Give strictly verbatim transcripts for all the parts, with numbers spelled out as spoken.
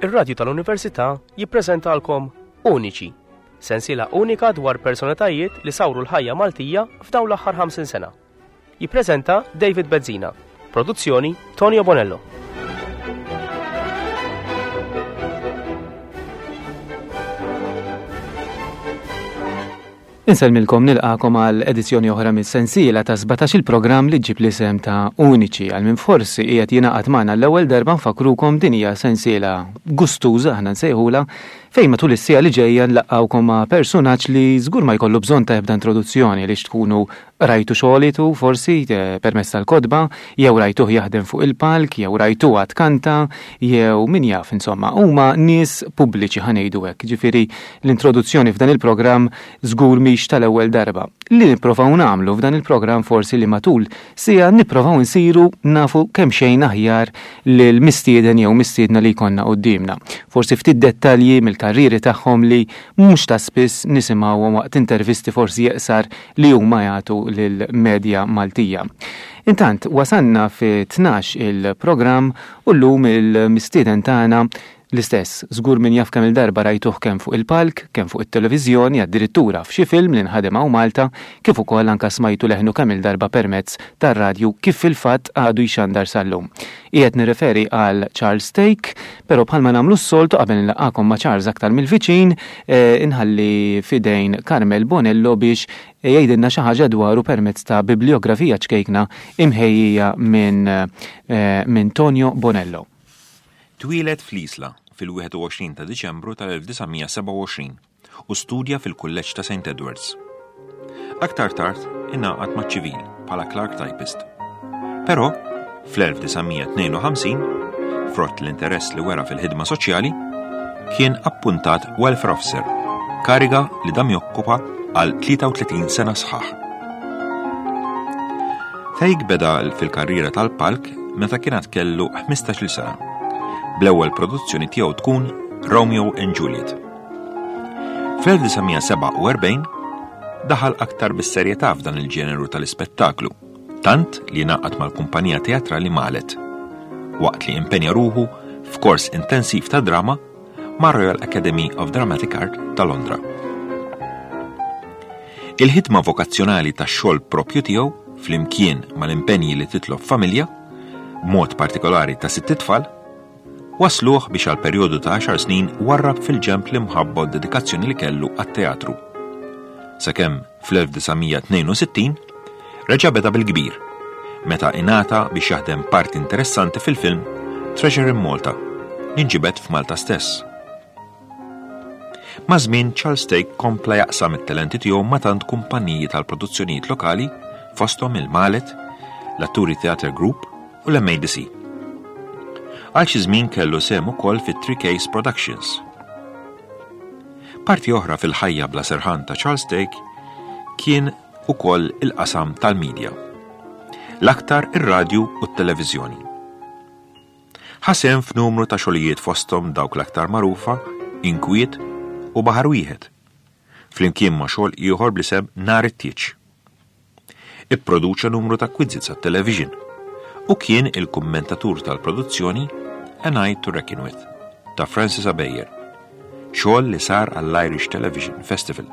Ir-Radju tal-Università jippreżentalkom Uniċi, sensiela unika dwar personalitajiet li sawru l-ħajja Maltija f'dawn l-aħħar ħamsin sena. Jippreżenta David Bezzina, produzzjoni Tonio Bonello. Insellmilkom, nilqakom għal edizzjoni oħra mis-sensiela ta' sbatax il-programm li ġib l-isem ta' Uniċi. Għal min forsi qiegħed jingħaqad magħna l-ewwel darba, nfakrukom din hija sensiela gustuża, aħna nsejħula, fejn matul is-siegħa li ġejja nlaqgħukom ma' personaġġ li żgur ma jkollu bżonn ta' ebda introduzzjoni, li tkunu rajtu xogħlitu forsi, eh, permezz tal-kotba, jew rajtuh jaħdem fuq il-palk, jew rajtuha tkanta, jew min jaf, insomma, huma nies pubbliċi, ħa ngħidu hekk. Ġifieri l-introduzzjoni f'dan il-programm żgur mhix tal-ewwel darba. Li nipprovaw nagħmlu f'dan il-programm forsi li matul sija nipprovaw nsiru nafu kemm xejn aħjar lil mistieden jew mistiedna li jkollna quddiemna. Forsi ftit dettalji mill-karriri tagħhom li mhux ta' spiss nisimgħuhom waqt intervisti forsi jeqsar li huma jagħtu lill-medja Maltija. Intant, wasanna fi tnax il-programm u llum il-mistieden tagħna l-istess, żgur min jaf kemm il-darba rajtuh kemm fuq il-palk, kemm fuq it-televiżjoni, addirittura f'xi film li nħadem hawn Malta, kif ukoll anke smajtu leħnu kemm il-darba permezz tar-radju kif fil-fatt għadu jxandar sal-lum. Qiegħed nirreferi għal Charles Thake, però bħalma nagħmlu s-soltu qabel nlaqgħakom ma' Charles aktar mill-viċin, eh, inħalli fidejn Carmel Bonello biex jgħidilna xi ħaġa dwaru permezz ta' bibliografija ċkejkna imħejjija minn, eh, minn Tonio Bonello. Twieled fl-Isla fil-wieħed u għoxrin ta' Diċembru tal-elf disa' mija sebgħa u għoxrin u studja fil-Kulleġġ ta' Saint Edwards. Aktar tard ingħaqad maċ-ċivil bħala clerk typist. Però fl-elf disa' mija tnejn u ħamsin, frott l-interess li wera fil-ħidma soċjali, kien appuntat welfare officer, kariga li dam jokkupa għal tlieta u tletin sena sħaħ. Thake beda fil-karriera tal-palk meta kien għad kellu ħmistax-il sena, bl-ewwel produzzjoni tiegħu tkun Romeo and Juliet. Fl-elf disa' mija sebgħa u erbgħin daħal aktar bis-serjetà f'dan il-ġeneru tal-ispettaklu, tant li ngħaqad mal-kumpanija teatrali Malet, waqt li impenja ruħu f'kors intensiv ta' drama ma' Royal Academy of Dramatic Art ta' Londra. Il-ħidma vokazzjonali tax-xogħol propju tiegħu flimkien mal-impenji li titlob familja, b'mod partikolari ta' sitt itfal, wasluh biex għal perjodu ta' għaxar snin warrab fil-ġemp l-imħabba u dedikazzjoni li kellu għat-teatru. Sakemm fl-elf disa' mija tnejn u sittin reġa' beda bil-kbir, meta ingħata biex jaħdem parti interessanti fil-film Treasure in Malta, li nġibed f'Malta stess. Ma' żmien Charles Thake kompla jaqsam it-talenti tiegħu ma' tant kumpaniji tal-produzzjonijiet lokali fosthom il-Malet, l-Atturi Theatre Group u l-M A D C. Għal xi żmien kellu sehem ukoll fit-Three Case Productions. Parti oħra fil-ħajja bla serħan ta' Charles Thake kien ukoll il-qasam tal-medja, l-aktar ir-radju u t-televiżjoni. Ħasem f'numru ta' xogħlijiet fosthom dawk l-aktar magħrufa, Inkwiet u Baħar Wieħed, flimkien ma' xogħol ieħor bl-isem Nar it-Tieġ. Ipproduċa numru ta' quizzes għat-television u kien il-kummentatur tal-produzzjoni A Night to Reckon With ta' Francis Ebejer, xogħol li sar għall-Irish Television Festival.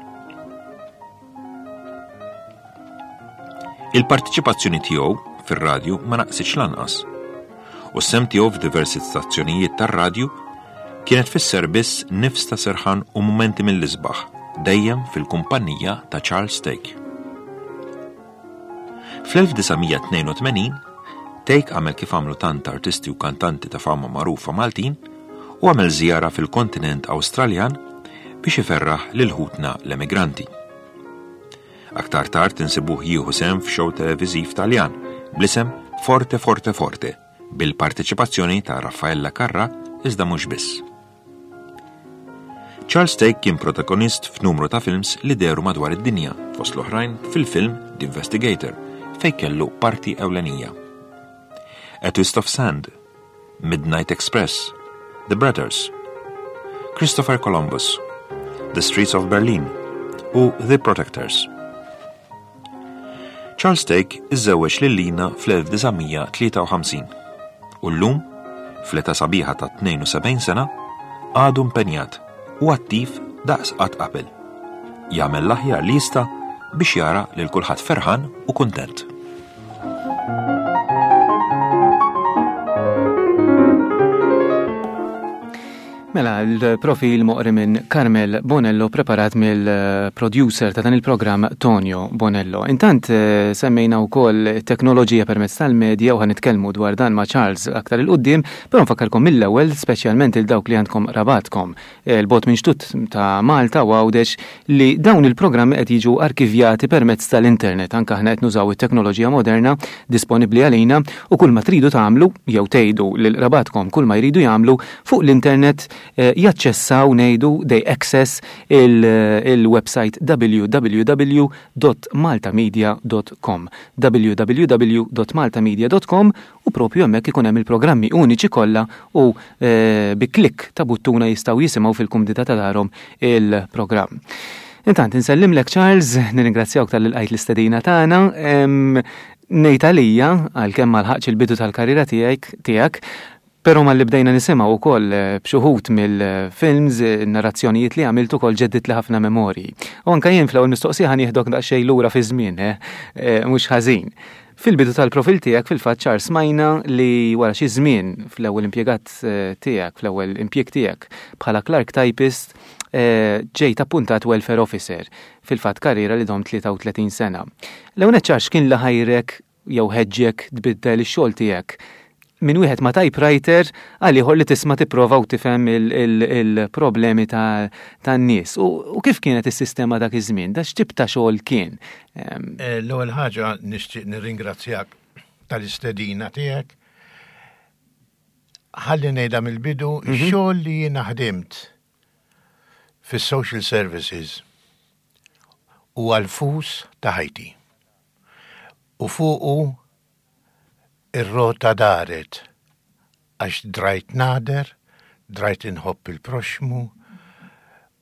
Il-partiċipazzjoni tiegħu fir-radju ma naqsitx lanqas, u s-sem tiegħu f'diversi stazzjonijiet tar-radju kienet tfisser biss nifs ta' serħan u mumenti mill-isbaħ, dejjem fil-kumpanija ta' Charles Thake. Fl-elf disa' mija tnejn u tmenin, Thake għamel kif għamlu tant artisti u kantanti ta' fama magħrufa Maltin u għamel żjara fil-kontinent Awstraljan biex iferraħ lil ħutna l-emigranti. Aktar tard insibuh jieħu sehem f'xow televiżiv Taljan bl-isem Forte Forte Forte bil-parteċipazzjoni ta' Raffaella Carrà iżda mhux biss. Charles Thake kien protagonist f'numru ta' films li dehru madwar id-dinja, fost l-oħrajn fil-film The Investigator, fejn kellu parti ewlenija. A Twist of Sand, Midnight Express, The Brothers, Christopher Columbus, The Streets of Berlin u The Protectors. Charles Thake iżżewweġ lil Lina fl-elf disa' mija tlieta u ħamsin u llum, fl-età sabiħa ta' tnejn u sebgħin sena, għadu impenjat u attiv daqs qatt qabel. Jagħmel l-aħjar li jista' biex jara lil kulħadd ferħan u kuntent. Mela, l-profil moqri minn Carmel Bonello preparat mill-producer ta' dan il-programm Tonio Bonello. Intant eh, semmejna wkoll teknoloġija permezz tal-medja u ħanitkellmu dwar dan ma' Charles aktar 'il quddiem, però nfakkarkom mill-ewwel speċjalment il dawk li għandkom rabatkom il-bot minn xtut ta' Malta u Għawdex li dawn il-programmi qed jiġu arkivjati permezz tal-internet. Anke aħna qed nużaw it-teknoloġija moderna disponibbli għalina u kull ma tridu tagħmlu jew tgħidu lil rabatkom kull ma jridu jagħmlu fuq l-internet jaċċessaw ngħidu they access il-website w w w dot maltamedia dot com w w w dot maltamedia dot com u propju hemmhekk ikun hemm il-programmi uniċi kollha u bi klik ta' buttuna jistgħu jisimgħu fil-kumdità ta' darhom il-programm. Intant insellimlek Charles, nirringrazzjawk tal-li lqajt l-istedina tagħna. Ngħid għalija għalkemm ma lħaqx il-bidu tal-karriera tiegħek tiegħek, però malli bdejna nisimgħu wkoll b'xuħut mill-films, narrazzjonijiet li għamilt ukoll ġeddit li ħafna memorji. U anke jien fl-ewwel mistoqsija ħanieħdok daqsxejn lura fi żmien, eh, mhux ħażin. Fil-bidu tal-profil tiegħek fil-fatt Charles smajna li wara xi żmien fl-ewwel impjegat tiegħek, fl-ewwel impjieg tiegħek bħala clerk typist, ġejt appuntat welfare officer, fil-fatt karriera li dom tlieta u tletin sena. L-ewwel nett Charles kien li ħajrek jew ħeġġek tbiddel ix-xogħol tiegħek minn wieħed ma' typewriter għal ieħor li tisma' tipprova u tifhem il-problemi tan-nies. U kif kienet is-sistema dak iż-żmien? Da x'tip ta' xogħol kien? L-ewwel ħaġa nixtieq nirringrazzjak tal-istedina tiegħek. Ħalli ngħidha mill-bidu, ix-xogħol li jiena ħdimt fis-social services huwa l-fus ta' ħajti. U fuqu ir-rota daret għax drajt nader, drajt inħobb il-proxmu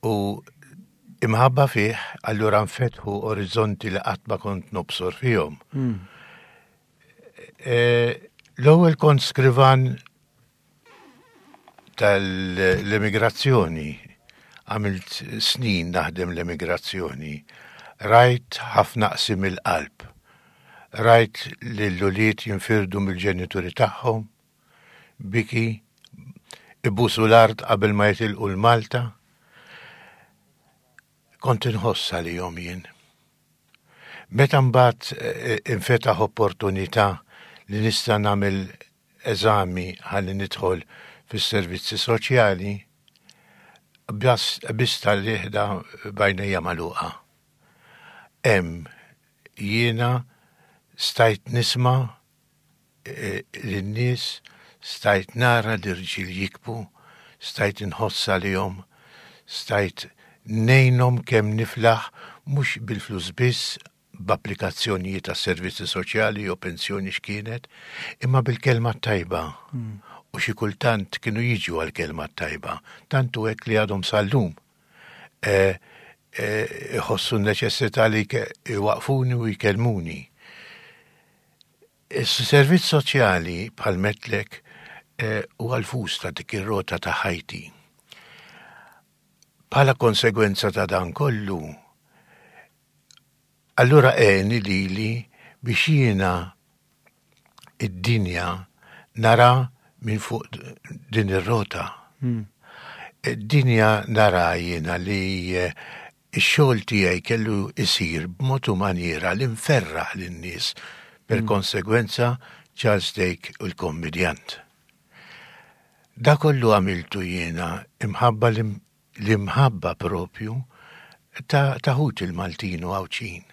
u imħabba fih, allura nfetħu orizzonti li qatt ma kont nobsor fihom. L-ewwel kont skrivan tal-immigrazzjoni, għamilt snin naħdem l-immigrazzjoni, rajt ħafna qsim il-qalb. Rajt li l-ulied jinfirdu mill-ġenituri tagħhom, biki, ibusu l-art qabel ma jitilqu l-Malta. Kont inħoss għalihom jien. Meta mbagħad infetaħ opportunità li nista' nagħmel eżami ħalli nidħol fis-servizzi soċjali, biss tal-liħda bajnejja magħluqa. Hemm jiena stajt nisma' lin-nies, stajt nara l-irġiel jikbu, stajt inħoss għalihom, stajt ngħinhom kemm niflaħ mhux bil-flus biss b'applikazzjonijiet ta' servizzi soċjali jew pensjoni x'kienet, imma bil-kelma tajba. U xi kultant kienu jiġu għall-kelma tajba, tant hu hekk li għadhom sal-lum. Iħossu n-neċessità li iwaqfuni u jkellmuni. Is-servizz soċjali bħal metlek huwa l-fus ta' dik ir-rota ta' ħajti. Bħala konsegwenza ta' dan kollu, allura għeni lili biex jiena id-dinja nara minn fuq din ir-rota. Id-dinja nara jiena li x-xogħol tiegħi kellu jsir b'mod u maniera li nferraħ lin-nies. Per konsegwenza Charles Thake u l-kommedjant. Da kollu għamiltu jiena imħabba l-imħabba propju ta' ħut il-Maltin u Għawdxin.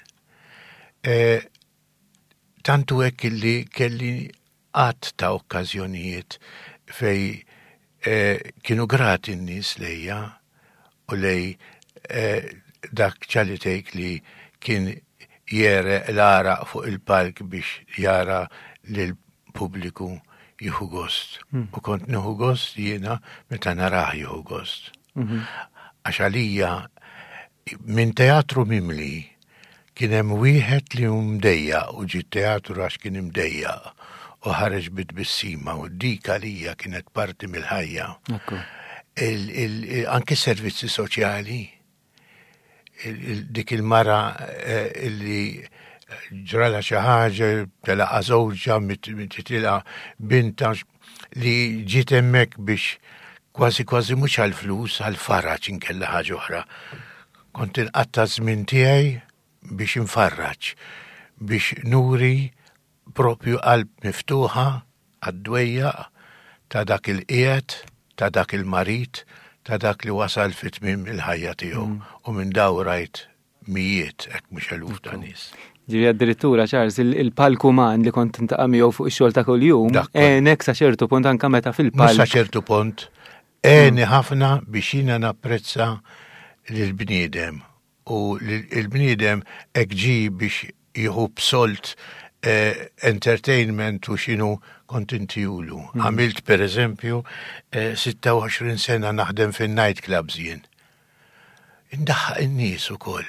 Tantu hekk illi kelli għadd ta' okkażjonijiet fej kienu grati n-nies lejja u lej dak Charlie Thake li kien jere l-għaraq fuq il-palk biex jara lill-pubbliku jieħu gost. U kont nieħu gost jiena meta narah jieħu gost. Għax għalija minn teatru mimli kien hemm wieħed li hu mdejjaq u ġie teatru għax kien imdejjaq u ħareġ bit-tbissima u dik għalija kienet parti mill-ħajja. Anke servizzi soċjali, dik il-mara illi ġrala xi ħaġa, telaqa żewġha, titilqa binta li ġiet hemmhekk biex kważi kważi mhux għall-flus, għall-faraġ inkella ħaġa oħra. Kont inqatta' żmien tiegħi biex infarraġ, biex nuri propju qalb miftuħa għad-dwejjaq ta' dak il-qiegħed, ta' dak il-marid, ta' dak li wasal fi tmiem il-ħajja tiegħu. U minn daw rajt mijiet, hekk mhux eluf ta' nies. Ġifieri addirittura, Charles, il-palk uman li kont tintaqa' miegħu fuq ix-xogħol ta' kuljum, għenek sa ċertu punt anke meta fil-palk. Mhux sa ċertu punt, għeni ħafna biex jiena napprezza lill-bniedem. U l-bniedem hekk ġie biex jieħu b'solt entertainment u x'inhu kont intihulu. Għamilt per eżempju sitta u għoxrin sena naħdem fin-night clubs jien. Indaħħaq in-nies ukoll.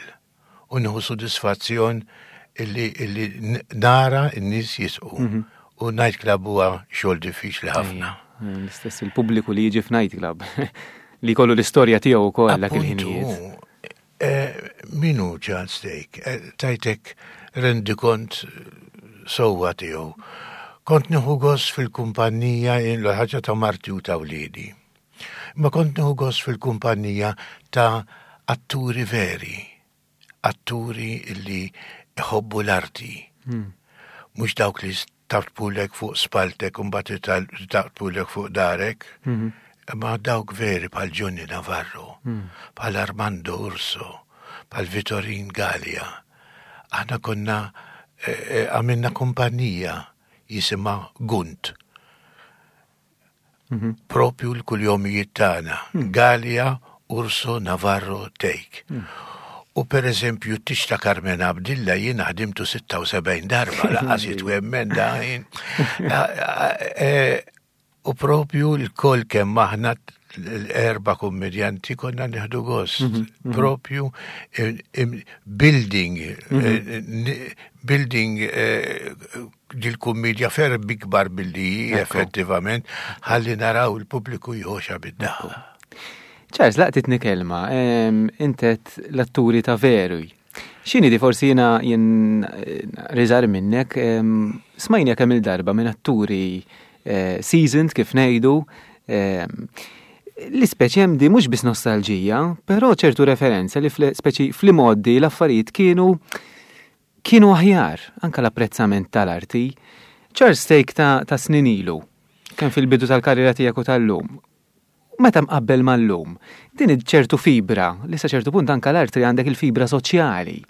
U nieħu sodisfazzjon illi, illi nara n-nies jisqu. U night club huwa xogħol diffiċli ħafna. L-istess il-pubbliku li jiġi f'night club li jkollu l-istorja tiegħu wkoll dak il-ħinijiet. Min hu Charles Thake? Tajtek rendikont sewwa tiegħu. Kont nieħu gost fil-kumpanija l-ħaġa ta' marti u ta' wliedi. Ma kont nieħu gost fil-kumpanija ta' atturi veri, atturi illi iħobbu l-arti. Mhux dawk li taqtpulek fuq spaltek u mbagħad taqtpulek fuq darek. Ma dawk veri bħal Johnny Navarro, bħal Armando Urso, bħal Vittorin Galea. Aħna konna għamilna kumpanija jisimha Gunt. Propju l-kuljomijiet tagħna. Galea, Urso, Navarro, Thake. U per eżempju, t-tix ta' Carmen Abdilla jien ħdimtu sitta u sebgħin darba, laqas jitwemmen da jien. U propju l-koll kemm aħna l-erba kummedjanti konna nieħdu gost. Propju building, building dil-kummedja ferm ikbar billi effettivament ħalli naraw il-pubbliku jħoxa bid-daħla. Charles, laqtitni kelma, intet l-atturi ta' veru. X'inhi di forsi jiena jien riżar minnek, smajna kemm il-darba minn atturi seasoned kif ngħidu, li speċi hemm di mhux biss nostalġija, però ċertu referenza li speċi fl-imgħoddi l-affarijiet kienu kienu aħjar, anka l-apprezzament tal-arti. Charles Thake ta', ta' snin ilu, kemm fil-bidu tal-karriera tiegħek u tal-lum, meta mqabbel mal-lum, din ċertu fibra, li sa ċertu punt anka l-arti għandek il-fibra soċjali.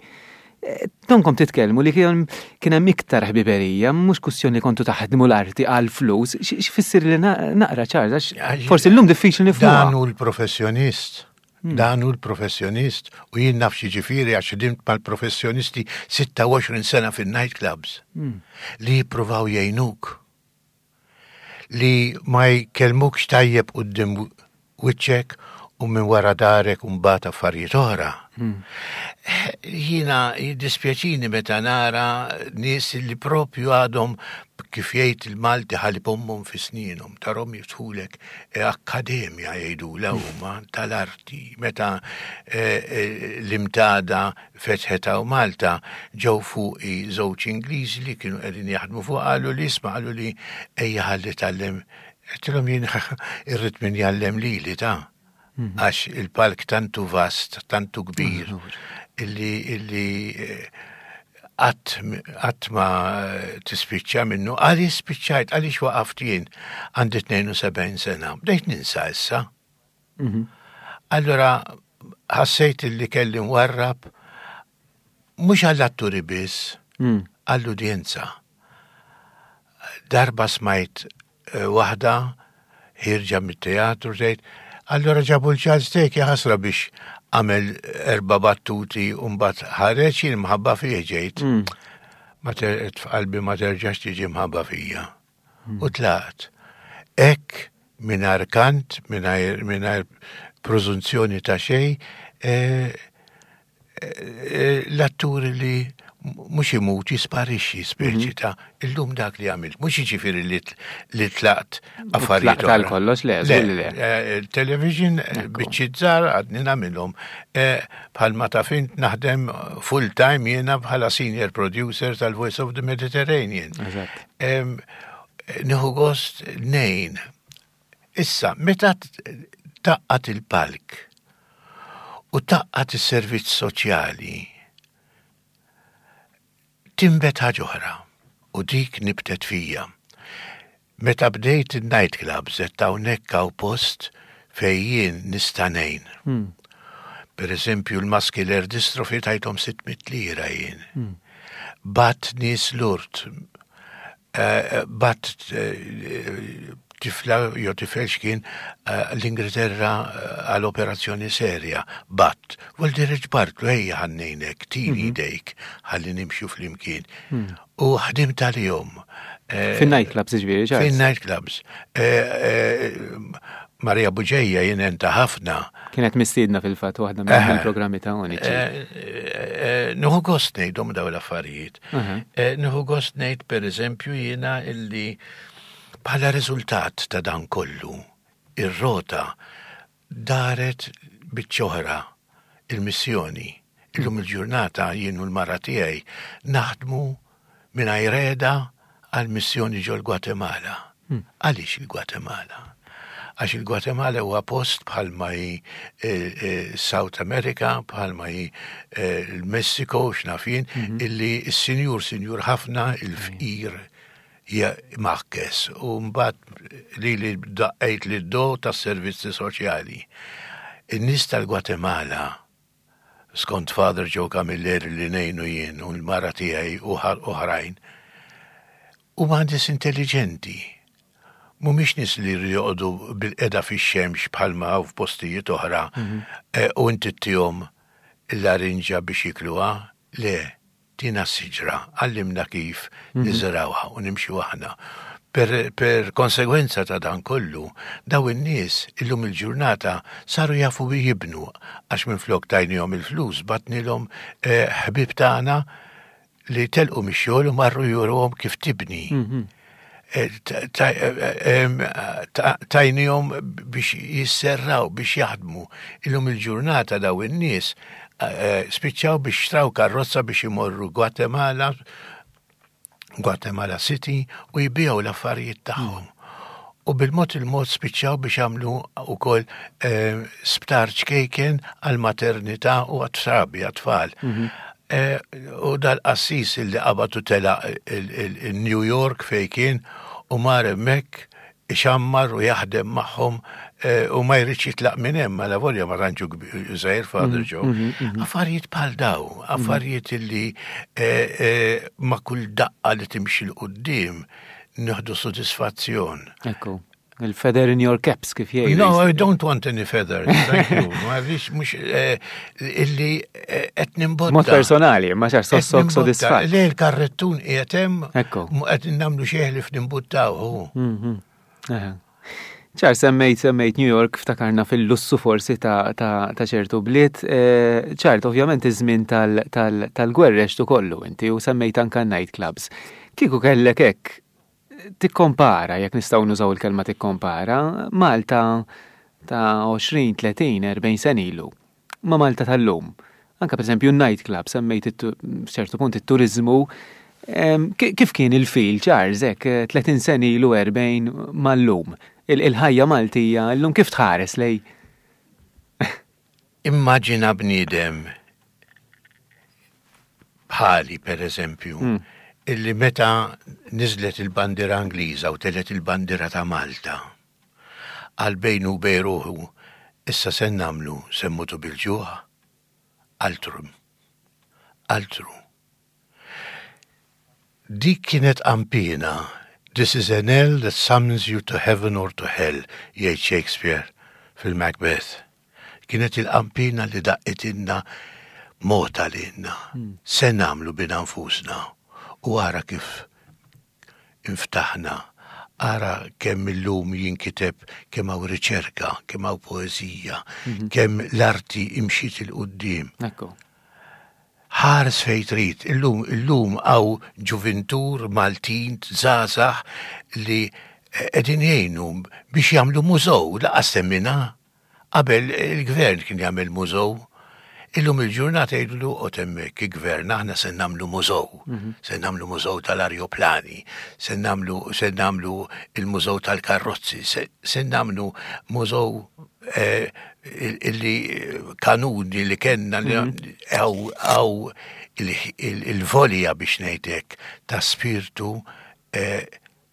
Tonkom titkellmu li kien hemm iktar ħbiberija, mhux kwistjoni li kontu taħdmu l-arti għal flus, x'fisser li naqra Charles, għax forsi llum diffiċli nifhmuha. Dan hu l-professjonist, dan hu l-professjonist, u jien naf xi ġifieri għax ħdimt mal-professjonisti sitta u għoxrin sena fin-night clubs li jippruvaw jgħinuk, li ma jkellmukx tajjeb quddiem wiċċek u minn wara darek u mbagħad affarijiet oħra. Jiena jiddispjaċini meta nara nies li propju għadhom kif jgħid il-Malti ħalib ommhom fi sninhom, tarhom jiftħulek akkademja jgħidulha huma tal-arti. Meta l-imtada fetħet hawn Malta ġew fuqi żewġ Ingliżi li kienu qegħdin jaħdmu fuq, qalu li isma', qalu li ejja ħalli tgħallem. Għedtilhom jien irrid min jgħallem lili ta' għax il-palk tantu vast, tantu kbir, illi, illi qatt ma tispiċċa minnu. Għaliex spiċċajt, għaliex waqaft jien għandi tnejn u sebgħin sena, bdejt ninsa issa. Allora ħassejt illi kelli nwarrab mhux għall-atturi biss, għall-udjenza. Darba smajt waħda ħirġa mit-teatru tgħid, allora ġabu l-Charles Thake ħasra biex għamel erba' battuti u mbagħad ħareġ jien mħabba fih ġejt. Ma f'qalbi ma terġax tiġi mħabba fija. U tlaqt. Hekk mingħajr kant, mingħajr, mingħajr preżunzjoni ta' xejn, l-atturi li Mhux imut, jisparixxi speċi ta' illum dak li għamilt. Mhux jiġifieri li li tlaqt affarijiet. Tlaqt għal kollox, le, żgur li le. Eh, Television, biċċiet żgħar għadni nagħmilhom. Eh, Bħalma taf int naħdem full time jiena bħala senior producer tal-Voice of the Mediterranean. Eżatt. Em, Nieħu gost ngħin. Issa, meta t- tgħaqqad il-palk u tgħaqqad is-servizz soċjali, tinbet ħaġa oħra u dik nibtet fija. Meta bdejt il-nightclubs, qed hawnhekk hawn post fejn jien nista' ngħin. Per eżempju, l-muscular dystrophy tajthom sitt mitt lira jien. Bgħatt nies Lourdes, eh, bgħatt eh, tifla jew tifel x'kien eh, l-Ingilterra eh, għal operazzjoni serja. Bgħatt, vuol dire ġbartlu, ejja ħa ngħinek, tini idejk, ħalli nimxu flimkien. U ħdimt għalihom. Eh, Fin-nightclubs ġifieri, Charles. Fin-nightclubs. Eh, eh, Maria Buġeja jien għentha ħafna. Kienet mistiedna fil-fatt waħda mill-programmi ta' Uniċi. Eh, eh, Nieħu gost ngħidhom daw l-affarijiet. Aha. Eh, Nieħu gost ngħid, per eżempju, jiena illi bħala riżultat ta' dan kollu, ir-rota daret biċ-ċoħra il-missjoni. Illum il-ġurnata jien u l-mara tiegħi naħdmu mingħajr heda għal-missjoni ġol Gwatemala. Għaliex il-Gwatemala? Għax il-Gwatemala huwa post bħalma hi eh, eh, South America, bħalma hi eh, il-Messiko, x'naf jien, illi s-sinjur sinjur ħafna, il-fqir hija maħkes. U mbagħad li li daqqejt li do tas-servizzi soċjali. In-nies tal-Gwatemala, skont Father Joe Camilleri li ngħinu jien u l-mara tiegħi u oħrajn, huma nies intelligenti. Mhumiex nies li joqogħdu bilqiegħda fix-xemx bħalma hawn f'postijiet oħra eh, u inti ttihom il-larinġa biex jikluha. Le, tina siġra, għallimna kif niżrawha u nimxu aħna. Per, per konsegwenza ta' dan kollu, daw in-nies illum il-ġurnata saru jafu jibnu għax minn flok tajnihom il-flus bgħatnilhom eh, ħbib tagħna li telqu mix-xogħol u marru juruhom kif tibni. Eh, ta- ta- eh, em, ta- Tajnihom biex jisserraw, biex jaħdmu. Illum il-ġurnata daw in-nies eh, spiċċaw biex xtraw karrozza biex imorru Guatemala, Guatemala City u jbiegħu l-affarijiet tagħhom. U bil-mod il-mod spiċċaw biex għamlu ukoll eh, sptar ċkejken għal-maternità u għat-trabi, għat-tfal. Eh, U dal-qassis li qabatu tela il-New York fej kien u mar hemmhekk ixammar u jaħdem magħhom eh, u ma jridx jitlaq minn hemm għala volja ma tantx żgħir Father Joe. Affarijiet bħal daw, affarijiet illi eh, eh, ma' kull daqqa li timxi 'l quddiem nieħdu sodisfazzjon. Ekku. Il-feather in your caps kif jgħidu. No, I don't want any feathers, thank you. Ma rridx mhux eh, illi eh, qed nimbotta. Mod personali, ma xar Qed sossok nimbotta. sodisfatt. Le, l-karrettun qiegħed hemm, Ekku. mu qed nagħmlu xeħli f'nimbuttaw. Mhm. Aha. ċar, semmejt, semmejt New York, ftakarna fil-lussu forsi ta', ta', ta' ċertu bliet. Eh, ċart, ovvjament iż-żmien tal-gwerra għextu kollu inti u semmejt anka nightclubs. Kieku kellek hekk tikkompara, jekk nistgħu nużaw il-kelma tikkompara, Malta ta' għoxrin, tletin, erbgħin sen ilu ma' Malta tal-lum. Anka per esempio nightclub, semmejt ċertu punt it-turizmu. Em, ki- Kif kien il-feel, Charles, hekk, tletin sen ilu, erbgħin mal-lum? Il- Il-ħajja Maltija, illum kif tħares lej? Immaġina bniedem bħali, per eżempju, Mm. illi meta niżlet il-bandira Ingliża u telgħet il-bandira ta' Malta, għal bejnu u bejn ruħu, issa se nagħmlu, se mmutu bil-ġuħ? Altru. Altru. Dik kienet ampina. "This is a knell that summons you to heaven or to hell," jgħid Shakespeare fil-Macbeth. Kienet il-qampina li daqqetilna mota lilna. Se nagħmlu bina nfusna. U ara kif inftaħna. Ara kemm illum jinkiteb, kemm hawn riċerka, kemm hawn poeżija, kemm l-arti imxiet 'il quddiem. Ekku. Ħares fejn trid, illum illum hawn ġuvintur Maltin żgħażagħ li qegħdin jgħinu biex jagħmlu mużew, lanqas semmina. Qabel il-gvern kien jagħmel mużew. Illum il-ġurnata jgħidu oqgħod hemmhekk il-gvern, aħna se nagħmlu mużew. Se nagħmlu mużew tal-arjoplani, se nagħmlu se nagħmlu il-mużew tal-karrozzi, se, se nagħmlu mużew eh, illi kanuni li kellna li għaw għaw il-volja biex ngħidlek ta' spirtu eh,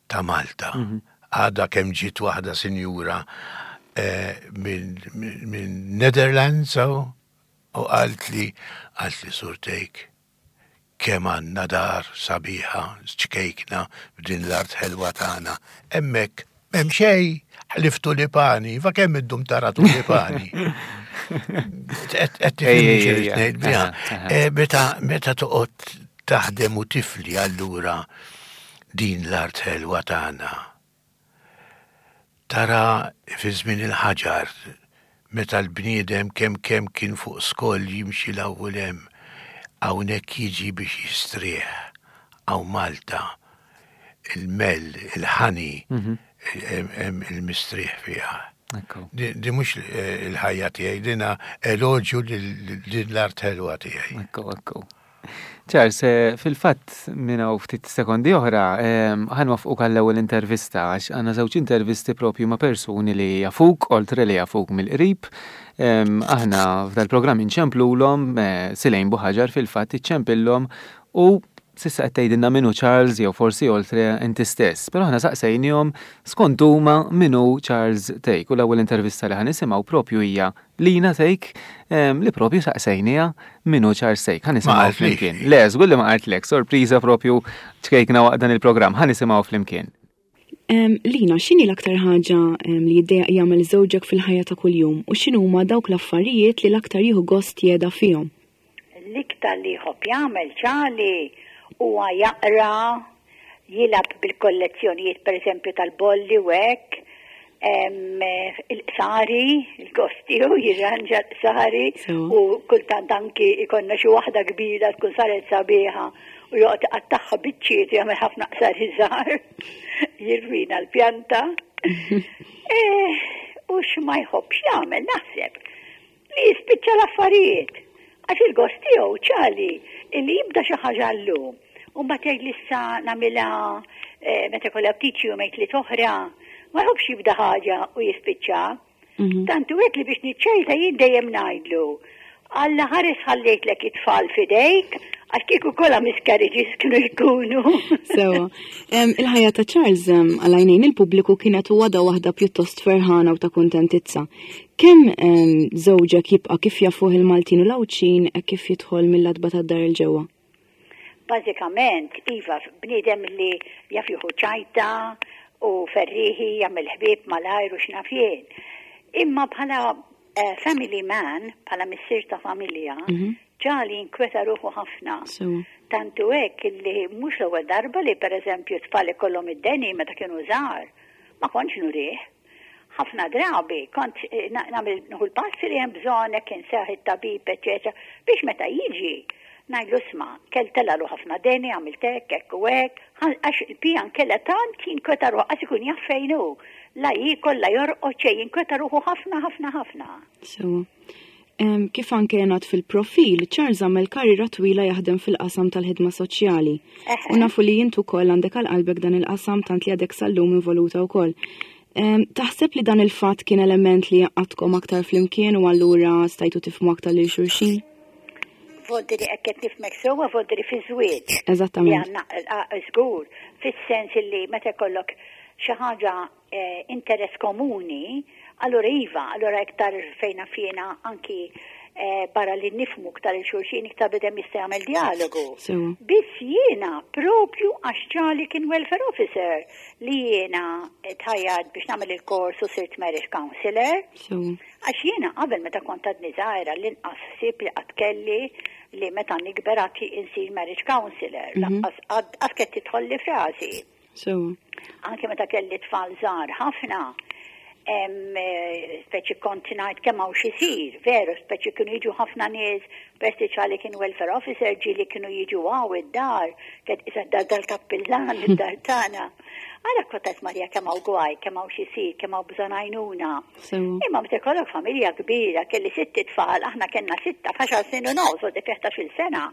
ta' Malta. Għada kemm ġiet waħda sinjura eh, minn min Netherlands u u qalt li qalt li Sur Thake, kemm għandna dar sabiħa, ċkejkna b'din l-art ħelwa tagħna. Hemmhekk m'hemm xejn ħlief tulipani, fa kemm iddum tara tulipani. Qed tifhimni xi ngħid biha. Eh, Meta meta toqgħod taħdem u tifli allura din l-art ħelwa tagħna. Tara fi żmien il-ħaġar meta l-bniedem kemm kemm kien fuq skoll jimxi l-ewwel hemm, hawnhekk jiġi biex jistrieħ hawn Malta, il-mel, il-honey, hemm il-mistrieħ fiha. Ekku. Di di mhux eh, il-ħajja tiegħi, dina eloġju lil din l-art ħelwa tiegħi. Ekku, ekku. Charles, eh, fil-fatt minn hawn ftit sekondi oħra, ħa nwaqqfuk għall-ewwel intervista, għax għandna żewġ intervisti propju ma' persuni li jafuk, oltre li jafuk mill-qrib. Em, Aħna f'dal-programm inċemplulhom, eh, Silejn Buħaġar fil-fatt iċċempillhom u s'issa qed tgħidilna min hu Charles jew forsi oltre inti stess. Però aħna saqsejnihom skont huma min hu Charles Thake u l-ewwel intervista li ħa nisimgħu propju hija Lina Thake em, li propju saqsejniha min hu Charles Thake. Ħa nisimgħu qaltlix. flimkien. Le, żgur li ma qaltlek, sorpriża propju ċkejkna waqt dan il-programm. Ħa nisimgħu flimkien. Em, Lina, x'inhi l-aktar ħaġa em, li jiddejjaq jagħmel żewġek fil-ħajja ta' kuljum u x'inhuma dawk l-affarijiet li l-aktar jieħu gost jeda fihom? L-iktar li jħobb jagħmel Charlie huwa jaqra, jilgħab bil-kollezzjonijiet pereżempju tal-bolli u hekk, em, il-qsari, il-gost tiegħu jirranġa l-qsari Sewa. u kultant anki ikollna xi waħda kbira tkun saret sabiħa u joqgħod iqattagħha biċċiet u jagħmel ħafna qsari żgħar, jirwina l-pjanta. Eh, U x'ma jħobbx jagħmel naħseb li jispiċċa l-affarijiet. Għax il-gost tiegħu Charlie illi jibda xi ħaġa llum. U mbagħad jgħid li issa nagħmilha eh, meta kollha ftit xi jumejn tliet oħra. Ma jħobbx jibda ħaġa u jispiċċa. Tant hu hekk li biex niċċajta jien dejjem ngħidlu. Alla ħares ħallejtlek it-tfal fidejk, għax kieku kollha miscarriages kienu jkunu. Sewa. Em, Il-ħajja ta' Charles em, għal-għajnejn il-pubbliku kienet u għadha waħda pjuttost ferħana u ta' kuntentizza. Kemm em, żewġek jibqa' kif jafuh il-Maltin u l-Għawdxin hekk kif jidħol mill-għatba tad-dar 'il ġewwa? Bażikament, iva, bniedem li jaf jieħu ċajta u ferriħi, jagħmel ħbieb malajr u x'naf jien. Imma bħala eh, family man, bħala missier ta' familja, Charlie inkweta ruħu ħafna. Sewa. Tant hu hekk illi mhux l-ewwel darba li pereżempju tfal ikollhom id-deni meta kienu żgħar, ma kontx nurih. Ħafna drabi kont eh, na- nagħmel nieħu l-passi li hemm bżonn hekk inseħ it-tabib, eċetera, biex meta jiġi ngħidlu isma' kell telalu ħafna deni, għamilt hekk, hekk u hekk, għax il-pjan kella tant jinkweta ruħu għax ikun jaf fejn hu. La jiekol, la jorqod xejn, jinkweta ruħu ħafna ħafna ħafna. Sewa. Em, Kif anke jingħad fil-profil, Charles għamel karriera twila jaħdem fil-qasam tal-ħidma soċjali. Eħe. U nafu li int ukoll għandek għal qalbek dan il-qasam tant li għadek sal-lum involuta wkoll. Em, Taħseb li dan il-fatt kien element li għaqqadkom aktar flimkien u allura stajtu tifhmu aktar lil xulxin? Voldiri hekk qed nifhmek sewwa, voldiri fi żwieġ. Eżattament. Li għandna żgur, fis-sens li meta jkollok xi ħaġa eh, interess komuni, allura iva, allura iktar fejna fjena anki eh, barra li nifhmu iktar lil xulxin iktar bniedem jista' jagħmel dialogu. Sewa. Biss jiena propju għax Charlie kien welfare officer li jiena tħajjart biex nagħmel il-kors u sirt marriage counselor. Sewa. Għax jiena qabel meta kont għadni żgħira l-inqas ħsieb li qatt kelli li meta nikber għad insir marriage counselor. Lanqas għad kienet tidħolli f'rasi. Sewa. Anke meta kelli tfal żgħar ħafna, Eh, speċi kont ngħid kemm hawn x'isir, veru, speċi kienu jiġu ħafna nies, speċi kien welfare officer ġieli kienu jiġu hawn id-dar, kien isa dar dal-kappillan id-dar tagħna. Għara kont Marja kemm hawn gwaj, kemm hawn x'isir, kemm hawn bżonn għajnuna. Imma meta jkollok familja kbira, kelli sitt tfal, aħna kellna sitta, f'għaxar snin u nofs, u dik il sena,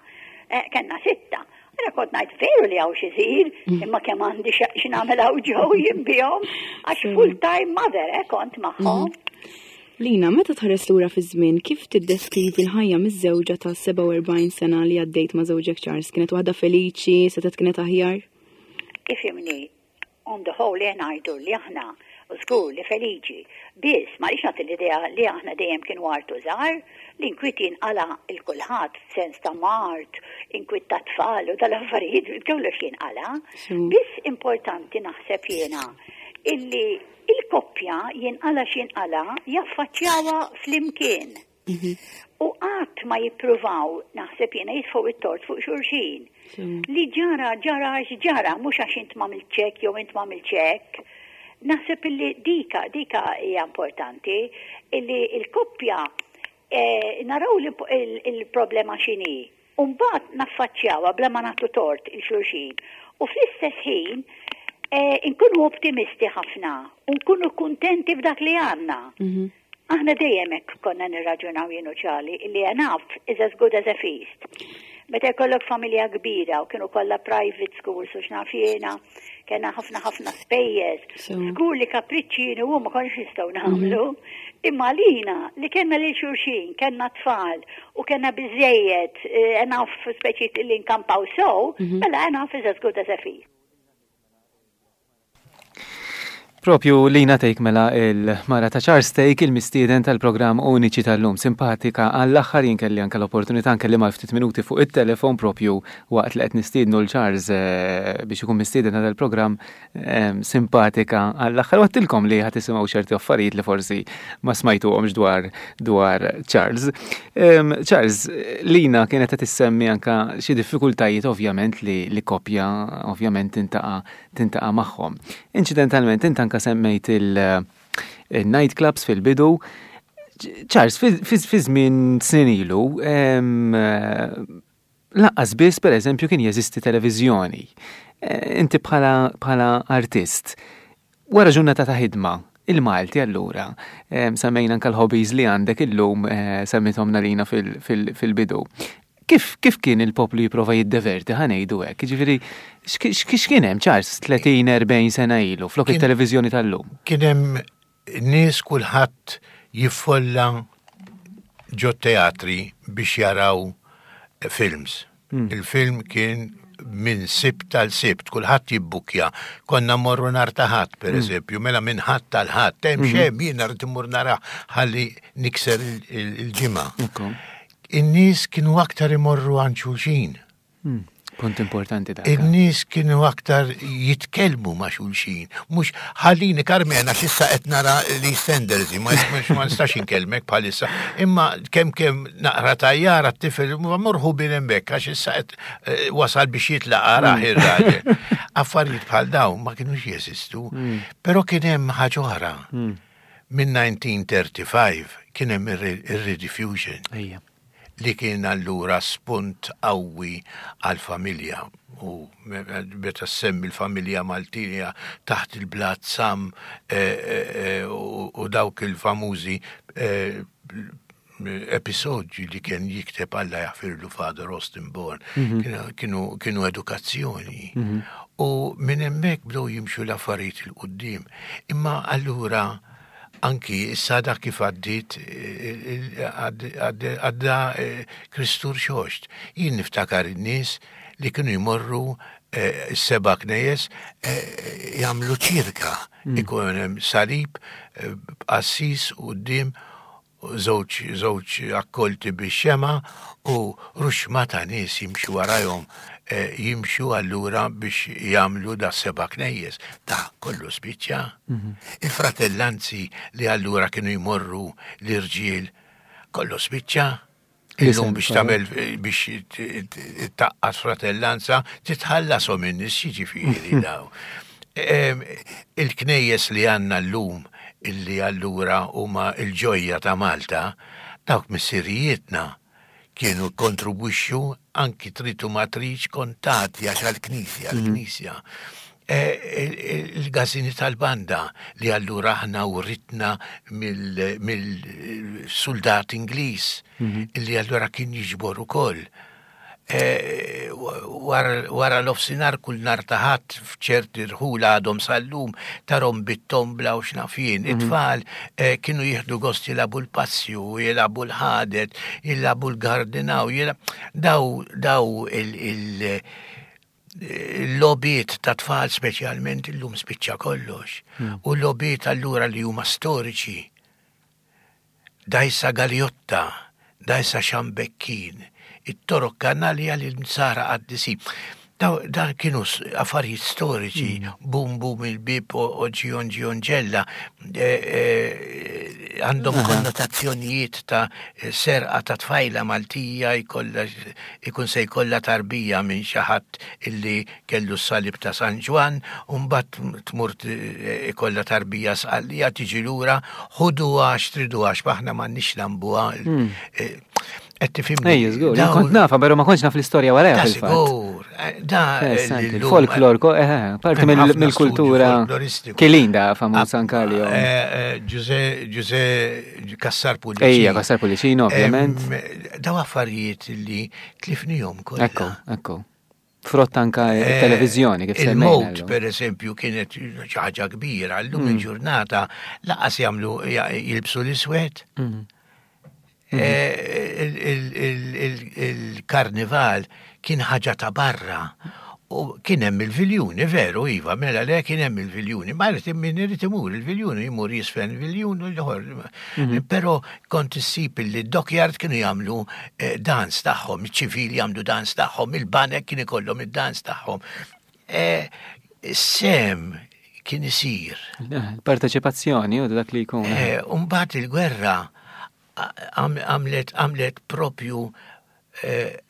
eh, kellna sitta. Għara kont ngħid veru li hawn x'isir, mm. imma kemm għandi x'nagħmel hawn ġew jien bihom, għax full time mother eh, kont magħhom. Mm. Lina, meta tħares lura fi żmien, kif tiddeskrivi l-ħajja miż-żewġa ta' sebgħa u erbgħin sena li għaddejt ma' żewġek Charles? Kienet waħda feliċi, setgħet kienet aħjar? Ifhimni, on the whole ngħidu li aħna żgur li feliċi. Biss, ma rridx nagħti l-idea li aħna dejjem kienu artu żgħar, l-inkwiet jinqala lil kulħadd f'sens ta' mard, inkwiet ta' tfal u tal-affarijiet, kollox jinqala. Biss importanti naħseb jiena illi il-koppja jinqala x'jinqala jaffaċċjawha flimkien. Mhm. U qatt ma jippruvaw naħseb jiena jitfgħu it-tort fuq xulxin. Li ġara ġara għax ġara, mhux għax int m'għamiltx hekk jew int m'għamiltx hekk. Naħseb illi dika, dika hija importanti, illi il-koppja eh, naraw il-problema x'inhi. U mbagħad naffaċċjawha bla ma nagħtu tort lil xulxin. U fl-istess ħin eh, nkunu optimisti ħafna u nkunu kuntenti b'dak li għandna. Mhm. Aħna dejjem hekk konna nirraġunaw jien u Charlie illi enough is as good as a feast. Meta jkollok familja kbira u kienu kollha private schools u x'naf jiena, kellna ħafna ħafna spejjeż. Żgur li kapriċċi u ma konniex nistgħu nagħmlu. Mhm. Imma lina li kellna lil xulxin, kellna tfal u kellna biżejjed eh, enough speċi li nkampaw so, mhm. mela enough is as good as a feast. Propju Lina Thake, mela il-mara ta' Charles Thake, il-mistieden tal-programm Uniċi tal-lum, simpatika għall-aħħar. Jien kelli anke l-opportunità anke li ftit minuti fuq it-telefon propju waqt li qed nistiednu lil Charles eh, biex ikun mistieden għal il-programm, eh, simpatika għall-aħħar. Għedtilkom li ħa tisimgħu ċerti affarijiet li forsi ma smajtuhomx dwar dwar Charles. Charles, Lina kienet qed issemmi anka xi diffikultajiet ovvjament li li koppja ovvjament tintaqa' tintaqa' magħhom. Inċidentalment int anka semmejt il-nightclubs fil-bidu. Charles, fi żmien snin ilu, lanqas biss per eżempju kien jeżisti televiżjoni. Eh, inti bħala artist, wara ġurnata ta' ħidma, il-Malti allura, semmejna anka l-hobbies li għandek illum, eh, semmithom lilna fil-bidu. Kif, kif kien il-poplu jipprova jiddeverti, ħa ngħidu hekk? Ġifieri, x'kien hemm, Charles, tletin erbgħin sena ilu, flok it-televiżjoni tal-lum? Kien hemm nies kulħadd jiffolla ġo teatri biex jaraw films. Hmm. Il-film kien minn Sibt għal Sibt, kulħadd jibbukja. Konna morru nhar ta' Ħadd, per hmm. eżempju, mela minn Ħadd għal Ħadd, hemm hmm. xem jiena rrid immur nara ħalli nikser il-ġimgħa. In-nies kienu aktar imorru għand xulxin. Hmm. Punt importanti dak. In-nies kienu aktar jitkellmu ma' xulxin. Mhux ħallini Karmena x'issa qed nara li EastEnders, ma ma nistax inkellmek bħalissa. Imma kemm kemm naqra tajjara t-tifel morħu bil hemmhekk għax issa qed eh, wasal biex jitlaq araħ hmm. ir-raġel. Affarijiet bħal dawn ma kienux jeżistu. Hmm. Però kien hemm ħaġa oħra. Minn elf disa' mija u tlieta u erbgħin kien hemm ir-Rediffusion li kien allura spunt qawwi għal-familja u meta semmi l-familja Maltija taħt il-blat sam eh, eh, eh, u dawk il-famużi episodji li kien jikteb Alla jaħfirlu Father Austin Born mhm. kienu, kienu edukazzjoni. Mhm. U minn hemmhekk bdew jimxu l-affarijiet 'il quddiem. Imma allura anki issa dak kif għaddit għadda eh, Kristu Rxoxt. Jien niftakar in-nies li kienu jmorru eh, seba' knejjes eh, jagħmlu ċirka. Mm. Ikun hemm salib b'qassis quddiem, żewġ żewġ akkolti bix-xema u ruxma ta' nies jimxu warajhom, eh, jimxu allura biex jagħmlu da seba' knejjes. Da kollu spiċċa. Mhm. Il-fratellanzi li allura kienu jmorru l-irġiel kollu spiċċa. Illum biex tagħmel biex tgħaqqad fratellanza titħallasom in-nies, jiġifieri daw. Il-knejjes li għandna llum Illi allura huma il-ġojja ta' Malta, dawk missirijietna kienu kontribwixxu anki tritu matriċ kontati għax għal-knisja, għal-knisja. Il-gazini tal-banda li allura aħna uritna mill-soldat Ingliż illi allura kien jiġbor ukoll. Wara l-ofsinar kull nar ta' Ħadd f'ċerti rħula għadhom sal-lum tarahom bit-tombla u x'naf jien. It-tfal kienu jieħdu gost jilagħbu l-passju, jilagħbu l-ħadet, jilagħbu l-gardinaw, daw daw il- il-logħbiet ta' tfal speċjalment illum spiċċa kollox. U l-logħbiet allura li huma storiċi. Dajsa Galjotta, dajsa Xambekkin, it-torok kanalja li l-msara qaddisin. Dan kienu affarijiet storiċi, bum bum il-bib u ġion ġion ġella, għandhom konnotazzjonijiet ta' serqa ta' tfajla Maltija ikun se jkollha tarbija minn xi ħadd illi kellu s-salib ta' San Ġwann, u mbagħad tmur ikollha tarbija Sqallija tiġi lura, ħuduha xtriduha għax aħna m'għandniex lambuha. Qed tifhimni? Ejja, żgur, kont nafa, però ma kontx naf l-istorja warajha fil-fatt. Żgur, da il-folklor, eh, parti mill-kultura Kilin da famuż anka li Ġuże Cassar Pullicino. Ejja, Cassar Pullicino, ovvjament. Daw affarijiet li tlifnihom kollha. Ekku, ekku. Frott anka televizjoni kif semmejna. Il-mowt, per eżempju, kienet xi ħaġa kbira, llum il-ġurnata laqas jagħmlu jilbsu l-iswed. Il-karnival kien ħaġa ta' barra. U kien hemm il-viljuni, veru, iva, mela le kien hemm il-viljuni. Ma jrid min irid imur il-viljuni, jmur jisfen il-viljun u l-ieħor. Però kont issib li d-dockyard kienu jagħmlu dans tagħhom, iċ-ċivili jagħmlu dans tagħhom, il-banek kien ikollhom id-dans tagħhom. Sem kien isir. Parteċipazzjoni u dak li jkun. U mbagħad il-gwerra għamlet għamlet propju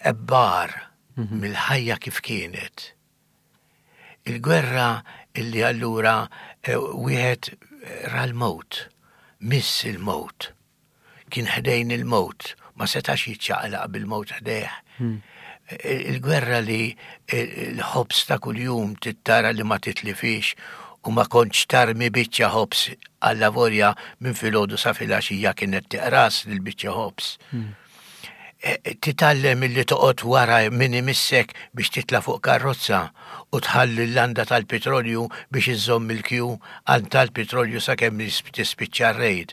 ebbar mill-ħajja kif kienet. Il-gwerra illi allura wieħed ra l-mowt, miss il-mowt, kien ħdejn il-mowt, ma setax jiċċaqlaq bil-mowt ħdejh. Il-gwerra li l-ħobs ta' kuljum tittara li ma titlifix u ma kontx tarmi biċċa ħobs għalla volja minn filgħodu sa filgħaxija kienet tiqras lil biċċa ħobs. Titgħallem illi toqgħod wara min imissek biex titla' fuq karozza u tħalli l-landa tal-petrolju biex iżżomm il-kju għal tal-petrolju sakemm tispiċċa r-rejd.